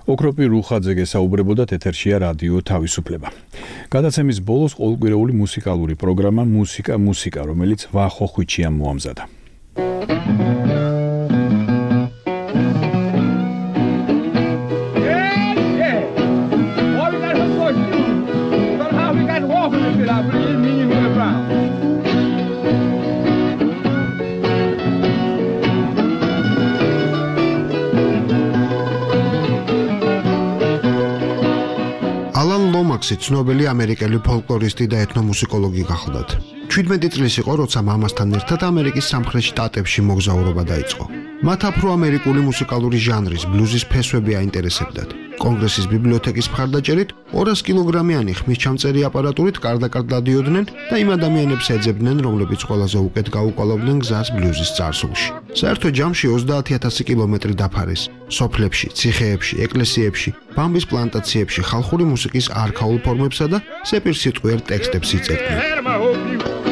ოქროპი რუხაძე გესაუბრებოდა ეთერშია რადიო თავისუფლება. გადაცემის ბოლოს ყოველკვირეული მუსიკალური პროგრამა მუსიკა, რომელიც ვახო ხვიჩიამ მოამზადა. ლომაქსი ცნობილი ამერიკელი ფოლკლორისტი და ეთნომუსიკოლოგი გახლდათ. 17 წლის იყო, როცა მამასთან ერთად ამერიკის სამხრეთ შტატებში მოგზაურობა დაიწყო. მათ აფრო-ამერიკული მუსიკალური ჟანრის ბლუზის ფესვები აინტერესებდათ. კონგრესის ბიბლიოთეკის მხარდაჭერით 200 კილოგრამიანი ხმისჩამწერი აპარატურით კარდაკარდ დადიოდნენ და იმ ადამიანებს ეძებდნენ, რომლებიც ყველაზე უკეთ გაუკვალავდნენ გზას ბლუზის წარსულში. საერთო ჯამში 30,000 კილომეტრი დაფარეს. სოფლებში, ციხეებში, ეკლესიებში, ბამბის პლანტაციებში ხალხური მუსიკის არქაულ ფორმებსა და სეპირსიტყვიერ ტექსტებს იწერდნენ.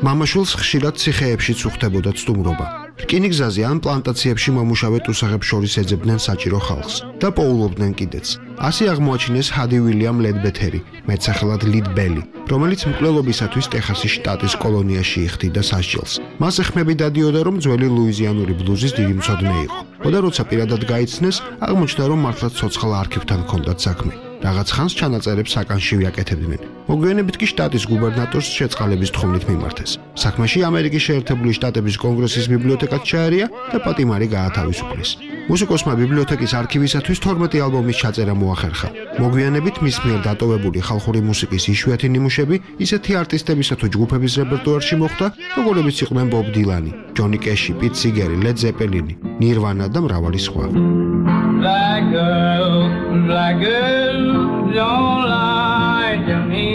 მამაშვილს ხშირად ციხეებშიც უხდებოდა ცდუმრობა. რკინიგზაზე ან პლანტაციებში მომუშავე ტუსაღებს შორის ეძებდნენ საჭირო ხალხს და პოულობდნენ კიდეც. ასე აღმოაჩინეს ჰადი უილიამ ლედბეთერი, მეტსახელად ლიდ ბელი, რომელიც მკვლელობისათვის ტეხასის შტატის კოლონიაში იხდიდა სასჯელს. მასზე ხმები დადიოდა, რომ ძველი ლუიზიანური ბლუზის დიდი მცოდნე იყო. და როცა პირადად გაიცნეს, აღმოჩნდა, რომ მართლაც ცოცხალ არქივთან ჰქონდათ საქმე. რაღაც ხანს ჩანაწერებს საკანშივე აკეთებდნენ. მოგვიანებით კი შტატის გუბერნატორს შეწყალების თხოვნით მიმართეს. საქმეში ამერიკის შეერთებული შტატების კონგრესის ბიბლიოთეკაც ჩაერია და პატიმარი გაათავისუფლეს. მუსიკოსმა ბიბლიოთეკის არქივისათვის 12 ალბომის ჩაწერა მოახერხა. მოგვიანებით მის მიერ დატოვებული ხალხური მუსიკის იშვიათი ნიმუშები ისეთი არტისტებისა თუ ჯგუფების რეპერტუარში მოხვდა, როგორებიც იყვნენ ბობ დილანი, ჯონი კეში, პიტ სიგერი, ლედ ზეპელინი, ნირვანა და მრავალი სხვა. Black girl, don't lie to me.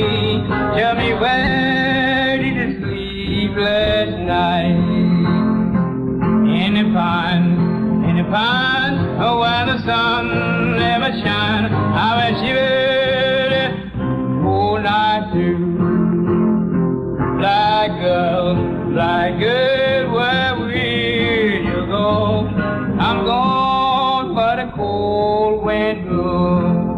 Tell me where did you sleep last night? In a pond, oh, where the sun never shines. I wish you would all night through. Black girl, where will you go? I'm gone for the cold wind blows.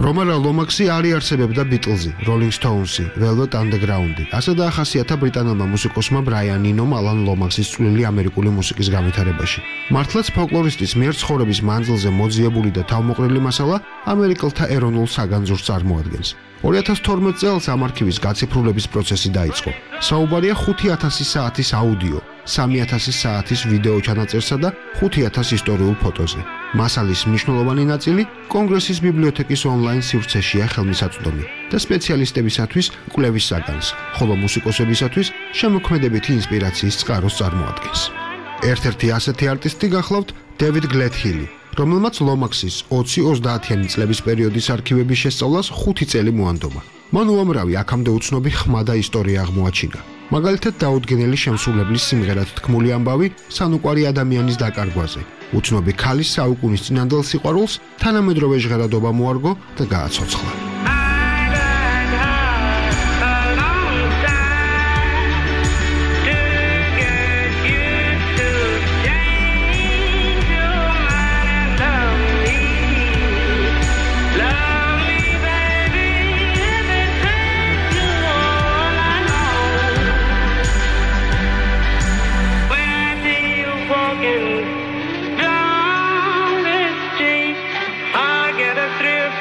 რომანა ლომაქსი არ იარსებებდა ბიტლზი, როლინგ სტოუნსი, ველვეტ ანდერგრაუნდი. ასე დაახასიათა ბრიტანელმა მუსიკოსმა ბრაიან ინომ ალან ლომაქსის წვლილი ამერიკული მუსიკის განვითარებაში. მართლაც ფოლკლორისტის მიერ ცხოვრების მანძილზე მოძიებული და თავმოყრილი მასალა ამერიკელთა ეროვნულ საგანძურს წარმოადგენს. 2012 წელს ამ არქივის გაციფრულების პროცესი დაიწყო. საუბარია 5000 საათის აუდიო, 3000 საათის ვიდეო ჩანაწერსა და 5000 ისტორიულ ფოტოზე. მასალის მნიშვნელოვანი ნაწილი კონგრესის ბიბლიოთეკის ონლაინ სივრცეშია ხელმისაწვდომი და სპეციალისტებისათვის კვლევის საგანს, ხოლო მუსიკოსებისათვის შემოქმედებითი ინსპირაციის წყაროს წარმოადგენს. ერთ-ერთი ასეთი არტისტი გახლავთ დევიდ გლედჰილი, რომელმაც ლომაქსის 20-30-იანი წლების პერიოდის არქივების შესწავლას 5 წელი მოანდომა. მან უამრავი აქამდე უცნობი ხმა და ისტორია აღმოაჩინა. მაგალითად დაუდგენელი შემსრულებლის სიმღერად თქმული ამბავი სანუკვარი ადამიანის დაკარგვაზე. უცნობი ქალის საუკუნის წინანდელ სიყვარულს თანამედროვე ჟღერადობა მოარგო და გააცოცხლა.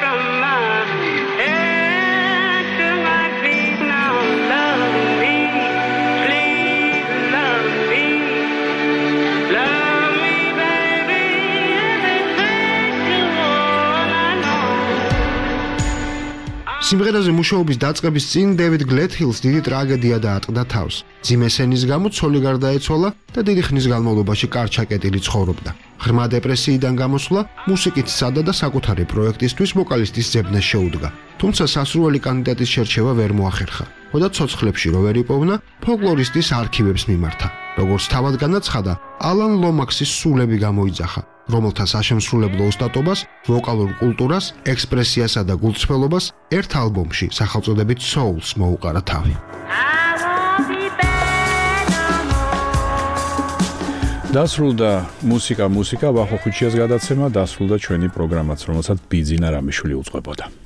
From my head. სიმღერაზე მუშაობის დაწყების წინ დევიდ გლეთჰილს დიდი ტრაგედია დაატყდა თავს. მძიმე სენის გამო ცოლი გარდაეცვალა და დიდი ხნის განმავლობაში კარჩაკეტილი ცხოვრობდა. ღრმა დეპრესიიდან გამოსვლა მუსიკით სცადა და საკუთარი პროექტისთვის ვოკალისტის ძებნას შეუდგა. თუმცა სასურველი კანდიდატის შერჩევა ვერ მოახერხა. ხოდა ცოცხლებში რო ვერ იპოვნა, ფოლკლორისტის არქივებს მიმართა. როგორც თავად განაცხადა, ალან ლომაქსის სულები გამოიძახა, რომელთა საშემსრულებლო ოსტატობას, ვოკალურ კულტურას, ექსპრესიასა და გულწრფელობას ერთ ალბომში სახელწოდებით Souls მოუყარა თავი. დასრულდა მუსიკა ვახო ხუჩიას გადაცემა, დასრულდა ჩვენი პროგრამაც, რომელსაც ბიძინა რამიშვილი უძღვებოდა.